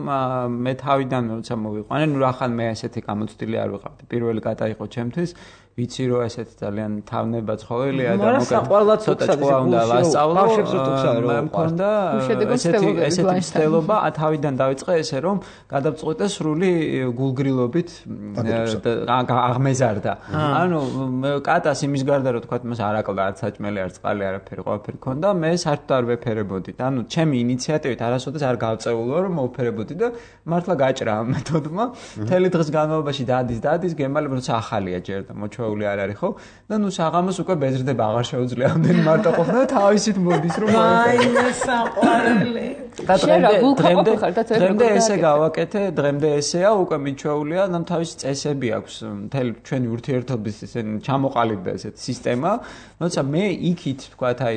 მე თავიდან როცა მოვიყვანე, ნუ რახან მე ასეთი გამოცდილი არ ვიყავდი. პირველი კატა იყო ჩემთვის, ვიცი რომ ესეთი ძალიან თავნება ცხოველია და მოკლედ ცოტა ჭკუა უნდა ვასწავლო. მე მქონდა ესეთი ესეთი მცდელობა თავიდან დავიწყე ესე რომ გადავწყვიტე სრული გულგრილობით აღმეზარდა. ანუ კატას იმის გარდა რომ თქვა მას არ აკლდა არც საჭმელი არც წყალი არაფერი ყველაფერი ქონდა, მე საერთოდ არ ვეფერებოდი. ანუ ჩემი ინიციატივით არასოდეს არ გავწეულო რომ მოვფერებოდი და მართლა გაჭრა ამ მეთოდმა. მთელი დღის განმავლობაში დადის დადის გემალებ როცა ახალია ჯერ და მოჩვეული არ არის ხო? და ნუ საღამოს უკვე ბეზრდება აღარ შეუძლია ამდენი მარტო ყოფნა და თავისით მოდის რომ აიმე საყვარელი. და დღემდე დღემდე ესე გავაკეთე, დღემდე ესეა უკვე მიჩვეულია, და თავისი წესები აქვს მთელი ჩვენი ურთიერთობის ესენი ჩამოყალიბდა ესეთ სისტემა, როცა მე იქით თქვათ აი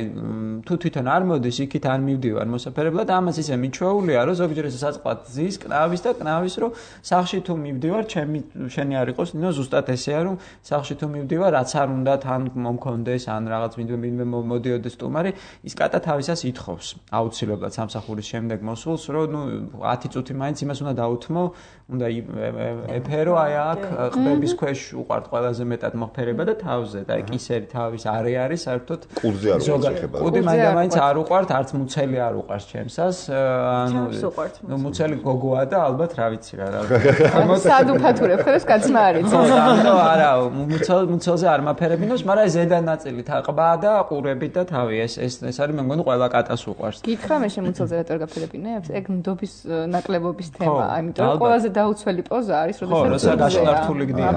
თუ თვითონ არ მოდის, იქით არ მივდივარ მოსაფერებლად, ამას ისე მიჩვეულია, რომ ზოგჯერ ესე საწყლად ზის, კნავის და კნავის, რომ სახში თუ მივდივარ, ჩემი შენი არ იყოს, ნუ ზუსტად ესეა, რომ სახში თუ მივდივარ, რაც არ უნდა თან მომქონდეს, ან რაღაც ვინმე მოდიოდეს სტუმარი, ის კატა თავისას ითხოვს აუცილებლად სამსახურის შემდეგ მოსულს, რომ ნუ ათი წუთი მაინც იმას უნდა დაუთმო, უნდა ეფერო აი აქ ყბების ქვეშ უყართ ყველაზე მეტად მოხფერება და თავზე და კისერი თავის არე არის საერთოდ კუდზე არ უყართ. კუდი მაინც არ უყართ, არც მუცელი არ უყარს ჩემსას, ანუ ნუ მუცელი გოგოა და ალბათ რა ვიცი რა. სად უფათურებ, ხოლოს კაცმა არის. ანუ არა, მუცელზე არ მაფერებინოს, მაგრამ ზედა ნაწილი ყბა და ყურები და თავი ეს ეს ეს არის მე მგონი ყველა კატას უყარს. გითხრა მე შემუცელზე რატო არ გაფერებინებს? ეგ ნდობის ნაკლებობის თემაა, იმიტომ რომ ყველაზე დაუცველი პოზა არის, როდესაც გაშლართული გდია.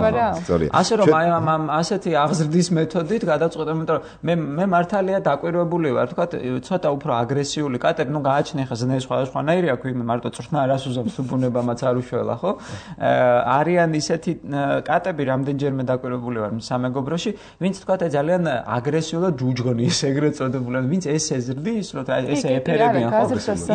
ასე რომ აი ამ ასეთი აღზრდის მეთოდით გადაწყვეტა, იმიტომ რომ მე მე მართალია დაკვირვებული ვარ, თქვა ცოტა უფრო აგრესიული კატები, ну გააჩნია ხა ზნე სხვადასხვანაირი აქვს, იმ მარტო წვრთნა არას უზამს თუ ბუნებამაც არ უშველა, ხო? არიან ისეთი კატები, რამდენჯერმე დაკვირვებული ვარ სამეგობროში, ვინც თქვა ძალიან აგრესიულად ჯუჯღნის, ეგრეთ წოდებული, ვინც ეს ეზრდის, რომ ესე ეფერებიან ხო?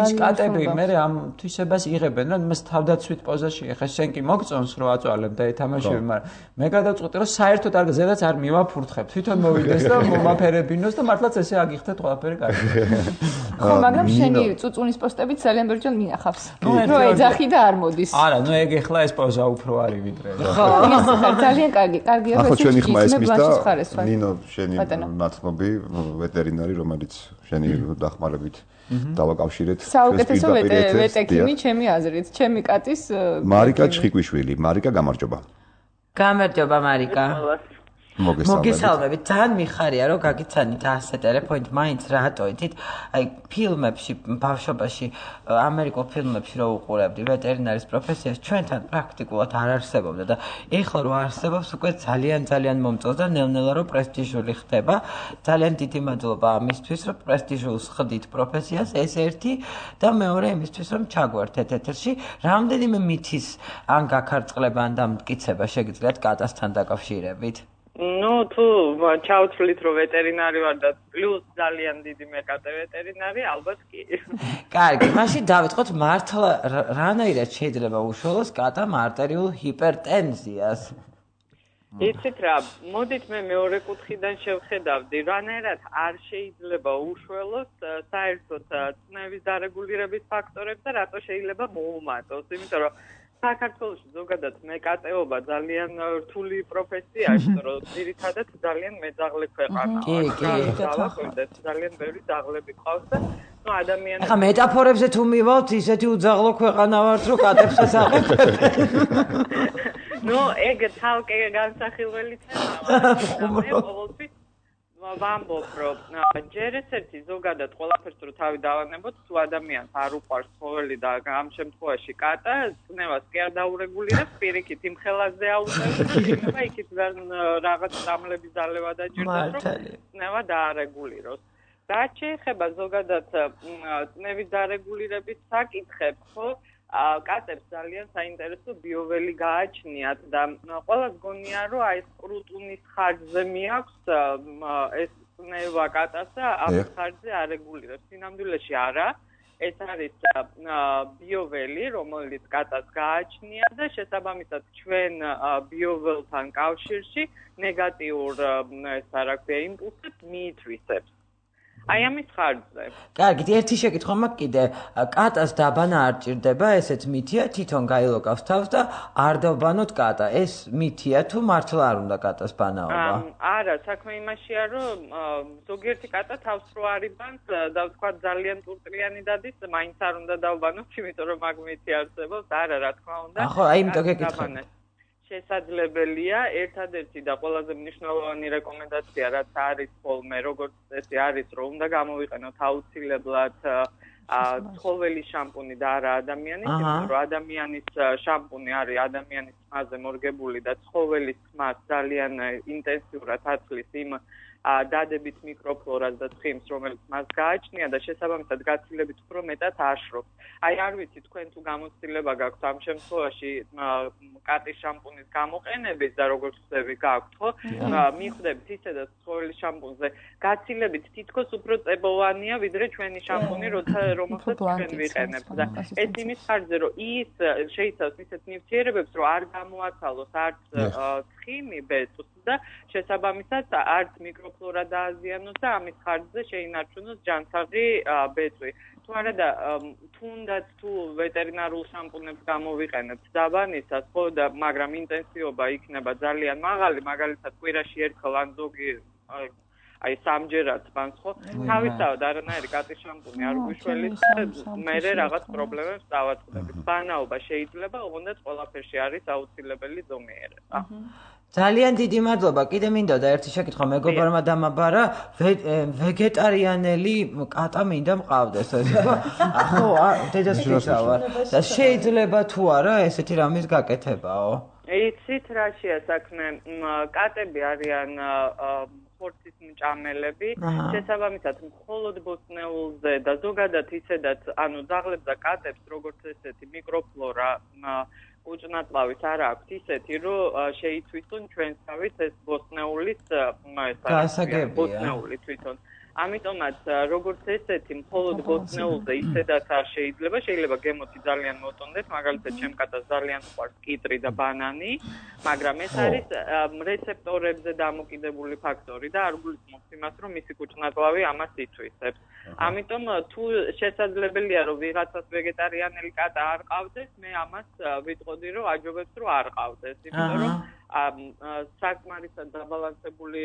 ის კატები მე ამ თვისებას იღებენ, რომ მას თავდაცვით პოზაში ეხა შენ კი მოგწონს რომ აწვალებ და ეთამაშები, მაგრამ მე გადავწყვეტე რომ საერთოდ არ ზედაც არ მივაფურთხებ, თვითონ მოვიდეს და მომაფერებინოს და მართლაც ესე აგიხდეთ ყველაფერი კარგი. ხო, მაგრამ შენი წუწუნის პოსტებით ძალიან ბევრჯერ მინახავს. რომ ეძახი და არ მოდის. არა, ნუ ეგ ეხლა ეს პოზა უფრო არის ვიდრე. ხო, ძალიან კარგი, კარგია ეს. ახლა ჩვენი ხმა ესმის და ნინო შენი ნაცნობი ვეტერინარი, რომელიც შენი დახმარებით დავაკავშირეთ. საუკეთესო ვეტერინარი ჩემი აზრით, ჩემი კატის მარიკა ჩხიკვიშვილი. მარიკა, გამარჯობა. გამარჯობა მარიკა. მოგესალმებით. ძალიან მიხარია რომ გაგიცანით ასე ტელეფონით, მაინც რატოითით, აი ფილმებში, ბავშვობაში, ამერიკულ ფილმებში რო უყურებდი ვეტერინარის პროფესიას, ჩვენთან პრაქტიკულად არ არსებობდა და ეხლა რო არსებობს, უკვე ძალიან ძალიან მომწონს და ნელ-ნელა რო პრესტიჟული ხდება. ძალიან დიდი მადლობა ამისთვის, რომ პრესტიჟულს ხდით პროფესიას, ეს ერთი და მეორე იმისთვის, რომ ჩაგვერთეთ ეთერში. რამდენიმე მითის ან გაქარწყლება ან დამტკიცება შეგიძლიათ კატასთან დაკავშირებით? ну თუ ჩავთვლით რომ ვეტერინარი ვარ და პლუს ძალიან დიდი მეკატე ვეტერინარი ალბათ კი. კარგი, მაშინ დავიწყოთ მართლა რანაირად შეიძლება უშუალოს კატამ არტერიულ ჰიპერტენზიას? იცით რა, მოდით მე მეორე კუთხიდან შევხედავდი, რანაირად არ შეიძლება უშუალოს საერთოდ წნევის დარეგულირების ფაქტორებს და რატო შეიძლება მოუმატოს, იმიტომ რომ საქართველოში ზოგადად მეკატეობა ძალიან რთული პროფესიაა, რომ ძირითადად ძალიან მეძაღლე ქვეყანაა. კი, კი, ძალიან ბევრი ძაღლები ყავს და ну ადამიანები ახლა მეტაფორებზე თუ მივალთ, ისეთი უძაღლო ქვეყანა ვართ, რომ კატებსაც აღებთ. ну ეგ თალკე განსახილველი თემაა. ვამბობ, რომ ჯერ ესეთი ზოგადად ყველაფერს რო თავი დავანებოთ, თუ ადამიანს არ უყვარს ცხოველი და ამ შემთხვევაში კატა, წნევას კი არ დაურეგულირებს, პირიქით იმ ხელაზე აუწევს, იქნება იქით რაღაც წამლების დალევა დაჭირდება, რომ წნევა დაარეგულიროს. რაც შეეხება ზოგადად წნევის დარეგულირების საკითხებს, ხო? კატებს ძალიან საინტერესო ბიოველი გააჩნიათ და ყველას გონია რომ აი ეს კრუტუნის ხარჯზე მიაქვს ეს წნევა კატასა ამ ხარჯზე არეგულირებს. სინამდვილეში არა, ეს არის ბიოველი, რომელიც კატას გააჩნია და შესაბამისად ჩვენ ბიოველთან კავშირში ნეგატიურ ეს რა ქვია იმპულსებს მიითვისებს. აი ამის ხარჯზე. კარგი, ერთი შეკითხვა მაქვს კიდე. კატას დაბანა არ ჭირდება, ესეც მითია, თვითონ გაილოკავს თავს და არ დავბანოთ კატა. ეს მითია თუ მართლა არ უნდა კატას ბანაობა? არა, საქმე იმაშია, რომ ზოგიერთი კატა თავს რო არიბანს და ვთქვა ძალიან ტურტრიანი დადის, მაინც არ უნდა დავბანოთ, იმიტომ რომ მაგ მითი არსებობს. არა, რა თქმა უნდა. ახო, აი იმიტომ გეკითხე. შესაძლებელია, ერთადერთი და ყველაზე მნიშვნელოვანი რეკომენდაცია, რაც არის ხოლმე, როგორც წესი არის, რომ უნდა გამოვიყენოთ აუცილებლად ცხოველის შამპუნი და არა ადამიანის, იმიტომ რომ ადამიანის შამპუნი არის ადამიანის ხმაზე მორგებული და ცხოველის ხმას ძალიან ინტენსიურად აცლის იმ დადებით მიკროფლორას და ცხიმს, რომელიც მას გააჩნია და შესაბამისად გაცილებით უფრო მეტად აშრობს. აი არ ვიცი თქვენ თუ გამოცდილება გაქვთ ამ შემთხვევაში კატის შამპუნის გამოყენების და როგორც ხდები გაქვთ, ხო? მიხვდებით ისედაც ცხოველის შამპუნზე გაცილებით თითქოს უფრო წებოვანია ვიდრე ჩვენი შამპუნი, რომელსაც ჩვენ ვიყენებთ და ეს იმის ხარჯზე, რომ ის შეიცავს ისეთ ნივთიერებებს, რომ არ გამოაცალოს არც ცხიმი ბეწვს და შესაბამისად არც მიკროფლორა დააზიანოს და ამის ხარჯზე შეინარჩუნოს ჯანსაღი ბეწვი. თუ არა და თუნდაც თუ ვეტერინარულ შამპუნებს გამოვიყენებთ დაბანისას, ხო და მაგრამ ინტენსივობა იქნება ძალიან მაღალი, მაგალითად კვირაში ერთხელ ან ზოგი აი სამჯერად ბანს ხო თავისთავად არანაირი კატის შამპუნი არ გვიშველით მე რაღაც პრობლემებს დავაწყდებით ბანაობა შეიძლება ოღონდ ყველაფერში არის აუცილებელი ზომიერება ძალიან დიდი მადლობა. კიდე მინდოდა ერთი შეკითხვა მეგობარმა დამაბარა, ვეგეტარიანელი კატა მინდა მყავდეს. ხო, დედას ვიქცავარ. და შეიძლება თუ არა ესეთი რამის გაკეთებაო? იცით რაშია საქმე? კატები არიან ხორცის მჭამელები, შესაბამისად მხოლოდ ბოსტნეულზე და ზოგადად ისედაც, ანუ ძაღლებს და კატებს როგორც ესეთი მიკროფლორა უჭნაწლავის არ აქვს ისეთი, რომ შეიცვისონ ჩვენსავით ეს ბოსტნეულის ბოსტნეული თვითონ. ამიტომაც როგორც ესეთი მხოლოდ ბოსტნეულზე ისედაც არ შეიძლება, შეიძლება გემოთი ძალიან მოტონდეს, მაგალითად ჩემ კატას ძალიან უყვარს კიტრი და ბანანი, მაგრამ ეს არის რეცეპტორებზე დამოკიდებული ფაქტორი და არ გულისხმობს იმას, რომ მისი კუჭნაწლავი ამას ითვისებს. ამიტომ თუ შესაძლებელია რომ ვიღაცას ვეგეტარიანელი კატა არ ყავდეს, მე ამას ვიტყოდი რომ აჯობებს რომ არ ყავდეს, იმიტომ რომ საკმარისად დაბალანსებული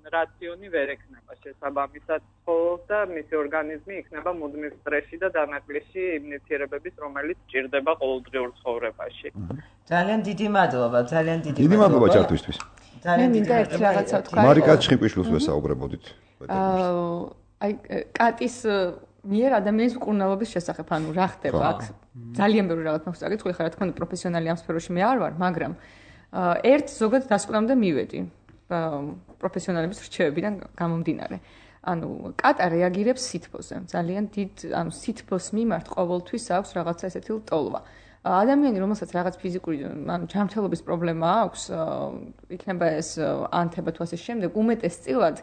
რაციონი ვერ ექნება შესაბამისად ხოლოს და მისი ორგანიზმი იქნება მუდმივ სტრესში და დანაკლისში იმ ნივთიერებების, რომელიც ჭირდება ყოველდღიურ ცხოვრებაში. ძალიან დიდი მადლობა, ძალიან დიდი მადლობა. დიდი მადლობა ჩართვისთვის. ძალიან დიდი ერთი რაღაცა თქვა. მარიკა ჩხიკვიშვილს ვესაუბრებოდით. აი კატის მიერ ადამიანის მკურნალობის შესახებ, ანუ რა ხდება აქ? ძალიან ბევრი რაღაც მაქვს წაკითხული, ხა რა თქმა უნდა პროფესიონალი ამ სფეროში მე არ ვარ, მაგრამ ერთ ზოგად დასკვნამდე მივედი პროფესიონალების რჩევებიდან გამომდინარე. ანუ კატა რეაგირებს სითბოზე. ძალიან დიდ, ანუ სითბოს მიმართ ყოველთვის აქვს რაღაცა ესეთი ლტოლვა. ადამიანი, რომელსაც რაღაც ფიზიკური, ანუ ჯანმრთელობის პრობლემა აქვს, იქნება ეს ანთება თუ ასე შემდეგ, უმეტესწილად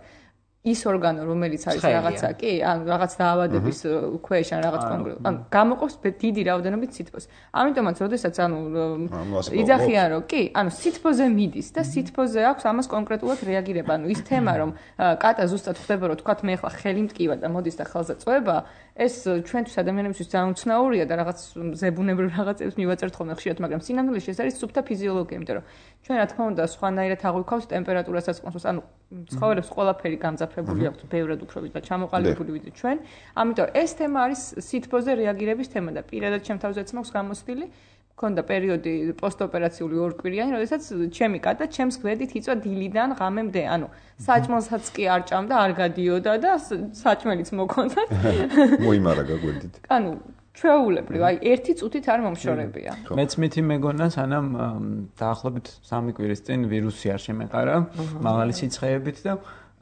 ის ორგანო, რომელიც არის რაღაცა, კი, ან რაღაც დაავადების ქვეშ ან რაღაც კონკრეტულ, ან გამოყოფს დიდი რაოდენობით სითბოს. ამიტომაც, როდესაც ანუ იძახიან, რომ კი, ანუ სითბოზე მიდის და სითბოზე აქვს ამას კონკრეტულად რეაგირება. ანუ ის თემა, რომ კატა ზუსტად ხდება, რომ თქვათ მე ახლა ხელი მტკივა და მოდის და ხელზე წვება, ეს ჩვენთვის ადამიანებისთვის ძალიან უცნაურია და რაღაც ზებუნებრივ რაღაცებს მივაწერთ ხოლმე ხშირად, მაგრამ სინამდვილეში ეს არის სუფთა ფიზიოლოგია, იმიტომ რომ ჩვენ რა თქმა უნდა სხვანაირად აღვიქავთ ტემპერატურასაც, ანუ ცხოველებს ყველაფერი გამძაფრებული აქვს, ბევრად უფრო ვიდრე ჩამოყალიბებული ვიდრე ჩვენ. ამიტომ ეს თემა არის სითბოზე რეაგირების თემა და პირადად ჩემ თავზეც მაქვს გამოცდილი. მქონდა პერიოდი პოსტოპერაციული ორკვირიანი, როდესაც ჩემი კატა ჩემს გვერდით იწვა დილიდან ღამემდე, ანუ საჭმელსაც კი არ ჭამდა, არ გადიოდა და საჭმელიც მოქონდა. მოიმარაგა გვერდით. ანუ ჩვეულებრივ, აი ერთი წუთით არ მომშორებია. მეც მითი მეგონა, სანამ დაახლოებით სამი კვირის წინ ვირუსი არ შემეყარა, მაღალი სიცხეებით და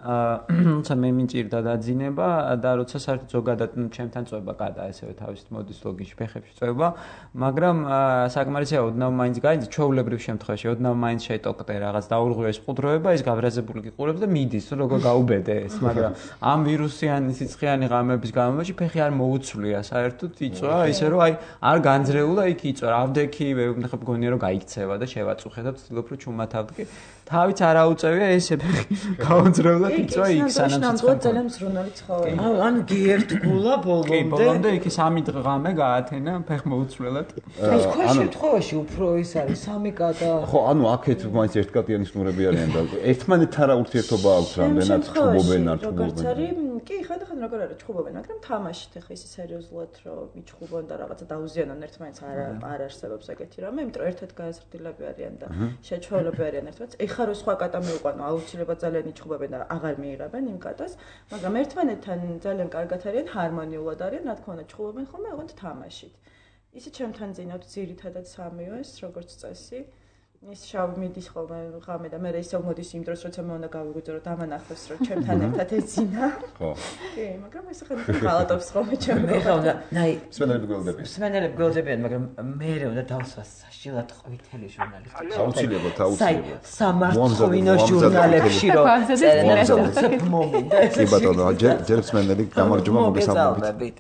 თუმცა მე მინჭირდა დაძინება და როცა საერთოდ ზოგადად ჩემთან წვება კატა ესევე თავის მოდის ლოგიში ფეხებში წვება, მაგრამ საკმარისია ოდნავ მაინც გაიძ ჩვეულებრივ შემთხვევაში ოდნავ მაინც შეიტოყდე რაღაც დაურღვევს ყუდროება, ის გავრაზებული გიყურებს და მიდის, როგორ გაუბედე ეს, მაგრამ ამ ვირუსიანი სიცხეიანი ღამების განმავლობაში ფეხი არ მოუცვლია საერთოდ იწვა, ისე რომ აი არ განძრეულა იქ იწვა, რავდექი, მე მგონია რომ გაიქცევა და შევაწუხე და ვცდილობ რომ ჩუმათავდე. თავიც არ აუწევია ესე ფეხი გაუძრეულა იწვა იქ სანამ სიცხე. ძალიან მსრუნავი ცხოველი. ან გიერთგულა ბოლომდე. კი, ბოლომდე იქ სამი დღე გაათენა ფეხმოუცვლელად. ეს სხვა შემთხვევაში უფრო ის არის სამი კატა. ხო, ანუ აქეთ მაინც ერთკატიანი სნურები არიან და ერთმანეთთან რა ურთიერთობა აქვს რამდენად ჩხუბობენ არ ჩხუბობენ. კი, ხანდახან როგორ არის ჩხუბობენ, მაგრამ თამაშით ახლა ისე სერიოზულად რომ მიჩხუბონ და რაღაცა დაუზიანონ ერთმანეთს არ არ არსებობს ეგეთი რამე, იმიტომ რომ ერთად გააზრდილები არიან და შეჩვეულები არიან ერთმანეთს. ეხლა რო სხვა კატა მივყვანო, აუცილებლად ძალიან იჩხუბებენ და აღარ მიიღებენ იმ კატას, მაგრამ ერთმანეთთან ძალიან კარგად არიან, ჰარმონიულად არიან, რა თქმა უნდა, ჩხუბობენ ხოლმე ოღონდ თამაშით. ისე ჩემთან ძინავთ ძირითადად სამივე ეს როგორც წესი. ის შავი მიდის ხოლმე ღამე და მე ისევ მოდის იმ დროს, როცა მე უნდა გავიგვიძო, რომ დამანახოს, რომ ჩემთან ერთად ეძინა. ხო. კი, მაგრამ ეს ახლა ღალატობს ხოლმე ჩემთან. ეხლა უნდა, ნაი, სვენელები გველდებიან. სვენელები გველდებიან, მაგრამ მე უნდა დავსვას საშილად ყვითელი ჟურნალისტი. აუცილებლად, აუცილებლად. სამართლოვინო ჟურნალებში რომ წერენ მომინდა. კი ბატონო, ჯერ სვენელი გამარჯობა მოგესალმებით.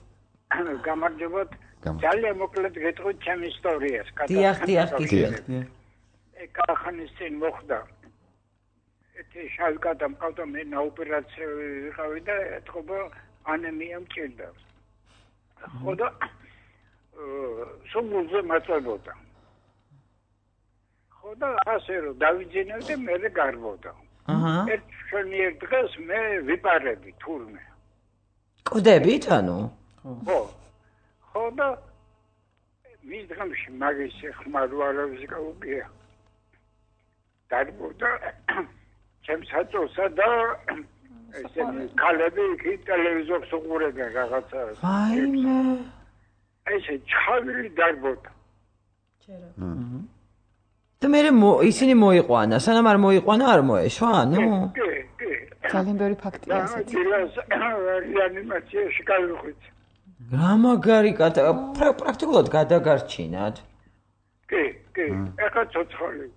გამარჯობათ. ძალიან მოკლედ გეტყვით ჩემ ისტორიას. დიახ, დიახ, გიჩვენეთ. კახანის წინ მოხდა. ეთი შავი კატა მყავდა, მე ნაოპერაციო ვიყავი და ეთქობა ანემია მჭირდა. ხო და სულ მაწვებოდა. ხო და ასე რომ დავიძინებდი, მე გარბოდა. აჰა. ერთ შენიერ დღეს მე ვიპარები თურმე. კვდებით ანუ? ხო. ხო და მის დღემში მაგის ხმარვალების გაუგია. დარბოდა ჩემს აწოსა და ესენი კალები კი ტელევიზორს უყურებენ რაღაცა. ვაიმე. ესე ჩხავილი დარბოდა. ჩერა. და მე ისინი მოიყვანა, სანამ არ მოიყვანა არ მოეშვა, ანუ? კი, კი. ძალიან ბევრი ფაქტია ესეც. და რეანიმაციაში გავიხვითი. რა მაგარი კატა, პრაქტიკულად გადაგარჩინათ. კი, კი, ეხა ცოცხალი.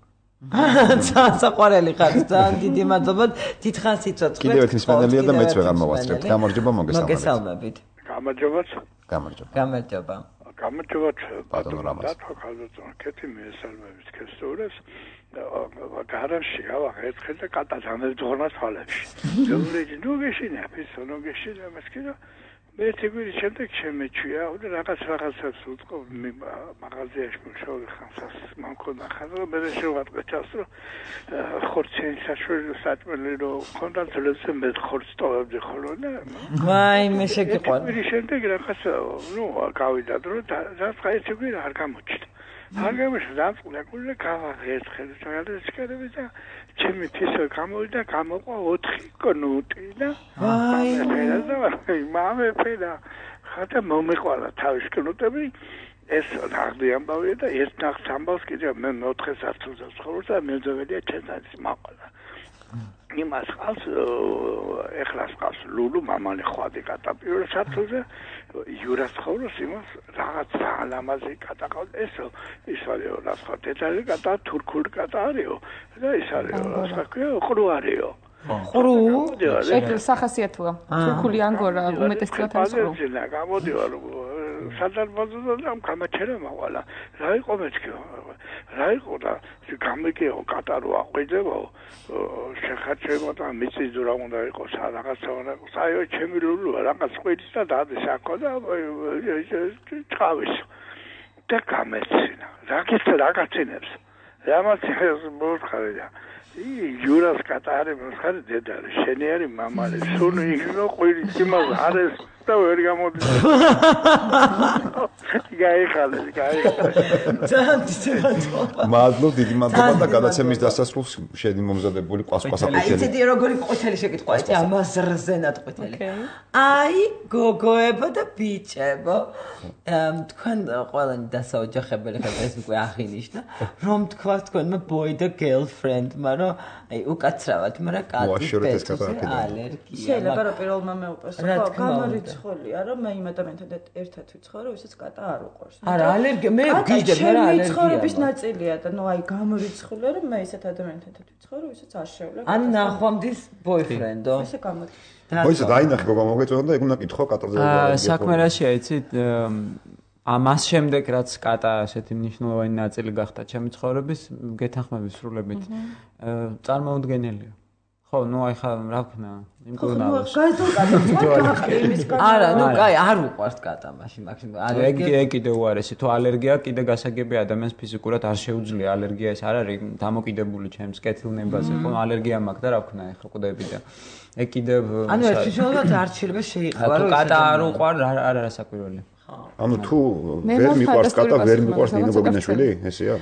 საყვარელი ხარ, ძალიან დიდი მადლობა, დიდხანს იცოცხლეთ. კიდევ ერთი მსმენელია და მეც ვეღარ მოვასწრებთ. გამარჯობა, მოგესალმებით. მოგესალმებით. გამარჯობათ. გამარჯობა. გამარჯობა. გამარჯობათ, ბატონო რამაზ. და ხალხო, კეთი მიესალმებით ქესტურებს. გარაში ავახერხეთ და კატაძანებს ძღონას თვალებში. ბევრი ნუ გეშინა, ფისო ნუ გეშინა, მასკინა მე თვითონ შემდეგ შემეჩვია და რაღაც რაღაცას უთქო მაღაზიაში მუშაობ ხანსას მანქონა ხარო მე შევატყეთას რომ ხორცენ საშუალო საწმელი რომ ხონდა თლეზე მე ხორც ტოვებდი ხოლო და ვაი მე შეგიყვან მე შემდეგ რაღაც ნუ გავიდა რომ რაც ხაიცები არ გამოჩნდა არ გამოჩნდა დამწყდა კულე გავაღერხე საერთოდ და ჩემი თისო გამოვიდა გამოყვა ოთხი კნუტი და ვაი მამე ფედა ხათა მომეყვალა თავის კნუტები ეს ნახდი ამბავია და ეს ნახს ამბავს კიდევ მე მეოთხე სართულზე ცხოვრობს და მე ძოვედია ჩენცანის მაყვალა იმას ხავს ეხლას ხავს ლულუ მამალი ხვადი კატა პირველ სართულზე იურას ცხოვრობს იმას რაღაც ალამაზი კატა ყავს ესო ის არისო რა სხვა დეტალი კატა თურქული კატა არისო და ის არისო რა სხვა ყრუ არისო ყრუ ეგ სახასიათოა თურქული ანგორა უმეტესწილად არის ყრუ და გამოდივარ სადარბაზოდან ამ გამაჩერა მაყვალა რა იყო მეთქი რა იყო და გამიგეო კატარო აყვიდებო შეხაჩებო და მიწის ძურა უნდა იყოს რაღაცა უნდა იყოს აიო ჩემი ლულუა რაღაც ყვირის და დადეს აქო და ჩავის და გამეცინა რაღაც რაღაცინებს რამაცინებს მოხარე და იურას კატარი მოხარე დედარი შენი არის მამალი სულ იქნო ყვირის იმას არის და ვერ გამოდი გაიხალე გაიხალე მადლობ დიდი მადლობა და გადაცემის დასასრულს შენი მომზადებული ყვასყვასაკუთელი აიცედი როგორი ყვითელი შეკითხვა იცი ამას რზენად ყვითელი აი გოგოებო და ბიჭებო თქვენ ყველანი დასაოჯახებელი ხართ ეს უკვე აღინიშნა რომ თქვა თქვენმა boy და girlfriend მაგრამ აი უკაცრავად მაგრამ კატის ალერგია შეიძლება რომ პირველმა მეუყვეს ხო გამორიცხულია რომ მე იმ ადამიანთან ერთად ვიცხოვრო ვისაც კატა არ უყვარს არა ალერგია მე გიჟდებ მე რა ალერგია ცხოვრების ნაწილია და ნუ აი გამორიცხულია რომ მე ისეთ ადამიანთან ერთად ვიცხოვრო ვისაც არ შევლებ ან ნახვამდის boyfriend-ო ესე გამოდი მოიცა დაინახე გოგო მოგეწონა და ეგ უნდა კითხო კატაზე საქმე რაშია იცით ამას შემდეგ რაც კატა ასეთი მნიშვნელოვანი ნაწილი გახდა ჩემი ცხოვრების გეთანხმები სრულებით წარმოუდგენელია ხო ნუ აი ხა რა ვქნა იმ კურნალოს არა ნუ კაი არ უყვარს კატა მაშინ მაქსიმუმ ალერგია ეგ კიდე უარესი თუ ალერგია კიდე გასაგები ადამიანს ფიზიკურად არ შეუძლია ალერგია ეს არ არის დამოკიდებული ჩემს კეთილნებაზე ხო ალერგია მაქვს და რა ვქნა ეხლა ყვდები და ეგ კიდე ანუ ერთ შემთხვევაში არ შეიძლება შეიყვარო თუ კატა არ უყვარ არ არა საკვირველი ანუ თუ ვერ მიყვარს კატა ვერ მიყვარს ნინო გოგინაშვილი ესეა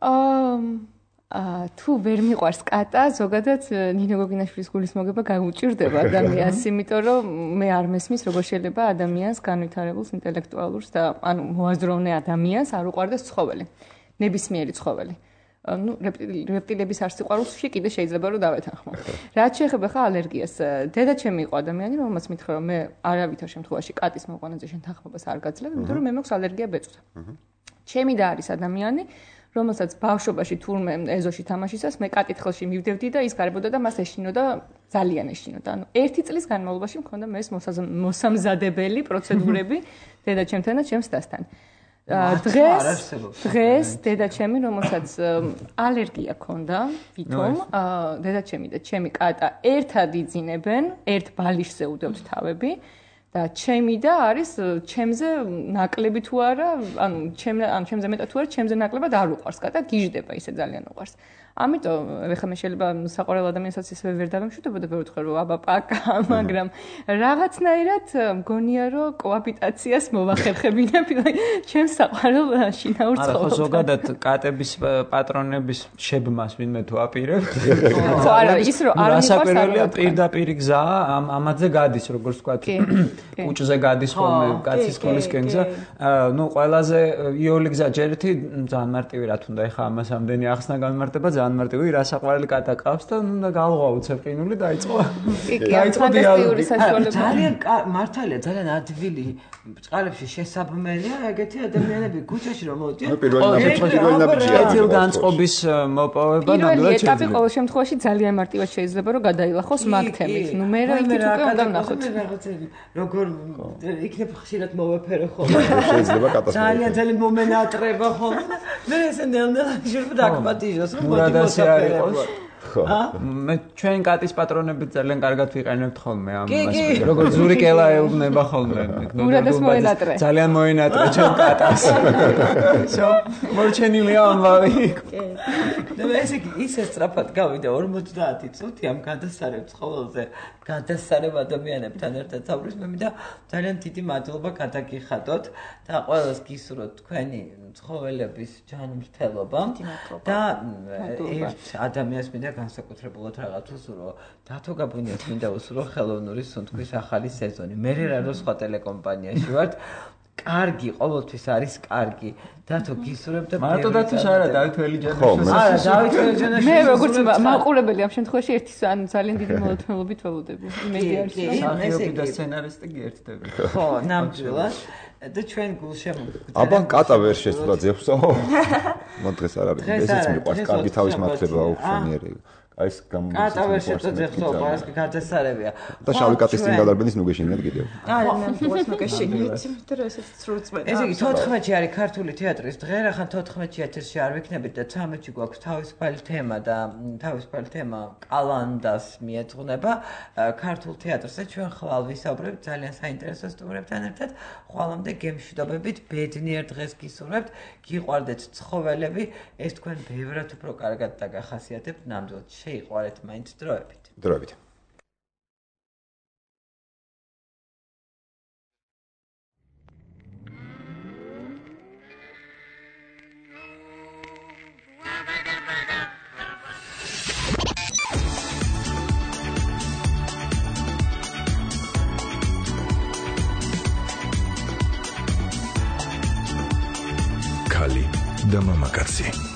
აა თუ ვერ მიყვარს კატა ზოგადად ნინო გოგინაშვილის გულის მოგება გაუჭირდება ადამიანს იმიტომ რომ მე არ მესმის როგორ შეიძლება ადამიანს განვითარებულს ინტელექტუალურს და ანუ მოაზროვნე ადამიანს არ უყვარდეს ცხოველი ნებისმიერი ცხოველი ну რეპტილების არ სიყვარულში კიდე შეიძლება რომ დავეთანხმო. რაც შეეხება ხა ალერგიას, დედა ჩემი იყო ადამიანი, რომელმაც მითხრა რომ მე არავითარ შემთხვევაში კატის მოყვანაზე შენ თანხმობას არ გაძლევ, იმიტომ რომ მე მაქვს ალერგია ბეწვზე. ჩემი და არის ადამიანი, რომელსაც ბავშვობაში თურმე ეზოში თამაშისას მე კატითხელში მივდევდი და ის გარებოდა და მას ეშინოდა ძალიან ეშინოდა. ანუ ერთი წლის განმავლობაში მქონდა მე ეს მოსამზადებელი პროცედურები დედა ჩემთან და ჩემს დასთან. დღეს დღეს დედა ჩემი რომელსაც ალერგია ჰქონდა ვითომ დედა ჩემი და ჩემი კატა ერთად იძინებენ ერთ ბალიშზე უდევთ თავები და ჩემი და არის ჩემზე ნაკლები თუ არა, ანუ ჩემ ანუ ჩემზე მეტად თუ არა, ჩემზე ნაკლებად არ უყვარს კატა, გიждდება ისე ძალიან უყვარს. ამიტომ ეხლა მე შეიძლება საყვარელ ადამიანსაც ისე ვერ დავემშვიდობოდა და ვერ ვთქვა რომ აბა პაკა, მაგრამ რაღაცნაირად მგონია რომ კოაპიტაციას მოვახერხებინებ ჩემს საყვარელ შინაურ ცხოვრებას. არა, ხო ზოგადად კატების პატრონების შებმას ვინმე თუ აპირებთ. ხო, არა, ის რომ არ მიყვარს რასაკვირველია პირდაპირ გზაა, ამ ამაზე გადის, როგორც თქვა. კუჭზე გადის ხოლმე კაცის სკოლისკენ გზა. ნუ ყველაზე იოლი გზა ჯერ ერთი ძალიან მარტივი რა თუნდა ეხა ამას ამდენი ახსნა განმარტება ძალიან მარტივი რასაყვარელი კატა ყავს და ნუ და galva უცებ ყინული დაიწყო. დაიწყო დიალოგი. ძალიან მართალია, ძალიან ადვილი წყალებში შესაბმელია ეგეთი ადამიანები ქუჩაში რომ მოდიან. პირველი ნაბიჯია. ეძილ განწყობის მოპოვება ნამდვილად შეიძლება. ეტაპი ყოველ შემთხვევაში ძალიან მარტივად შეიძლება რომ გადაილახოს მაგ თემით. ნუ მე რა იქით უკვე უნდა ვნახოთ. როგორ იქნებ ხშირად მოვეფერო ხოლმე. შეიძლება კატასტროფა. ძალიან ძალიან მომენატრება ხოლმე. მე ესე ნელ-ნელა შეიძლება დაგპატიჟოს რომ მოდი მოსაფერებლად. ხო. მე ჩვენ კატის პატრონებით ძალიან კარგად ვიყენებთ ხოლმე ამ მასპინძელს. როგორც ზური კელა ეუბნება ხოლმე. ურადას მოენატრე. ძალიან მოენატრე ჩვენ კატას. შო, მორჩენილია ამბავი. და მე ესე ისე სწრაფად გავიდა ორმოცდაათი წუთი ამ გადასარევ ცხოველზე. გადასარევ ადამიანებთან ერთად საუბრის მე მინდა ძალიან დიდი მადლობა გადაგიხადოთ და ყველას გისურვოთ თქვენი ცხოველების ჯანმრთელობა და ერთ ადამიანს მინდა განსაკუთრებულად რაღაც უსურო დათო გაბუნიას მინდა უსურო ხელოვნური სუნთქვის ახალი სეზონი. მე რა რო სხვა ტელეკომპანიაში ვარ კარგი, ყოველთვის არის კარგი. დათო გისურვებ და მარტო დათოს არა, დავით ველიჯანიშვილს. არა, დავით ველიჯანიშვილს. მე როგორც მაყურებელი ამ შემთხვევაში ერთი ანუ ძალიან დიდი მოლოდინობით ველოდები. იმედი არის. მსახიობი და სცენარისტი გერთდები. ხო, ნამდვილად. და ჩვენ გულშემო. აბა კატა ვერ შესულა ძებსო. მოდ დღეს არ არის. ესეც მიყვარს კარგი თავის მართლება აუქციონიერი. ეს გამომდის. კატა ვერ შეწოდეს ხო, პარასკი გადასარევია. და შავი კატის წინ გადარბენის ნუ გეშინიათ კიდევ. არა, მე მგონს ნუ გეშინიათ, იმიტომ რომ ესეც სრულწმენდა. ესე იგი თოთხმეტში არის ქართული თეატრის დღე, რახან თოთხმეტში ეთერში არ ვიქნებით და ცამეტში გვაქვს თავისუფალი თემა და თავისუფალი თემა კალანდას მიეძღვნება. ქართულ თეატრზე ჩვენ ხვალ ვისაუბრებთ ძალიან საინტერესო სტუმრებთან ერთად. ხვალამდე გემშვიდობებით, ბედნიერ დღეს გისურვებთ, გიყვარდეთ ცხოველები, ეს თქვენ ბევრად უფრო კარგად დაგახასიათებთ ნამდვილად. შეიყვარეთ მაინც დროებით. დროებით. ქალი და მამაკაცი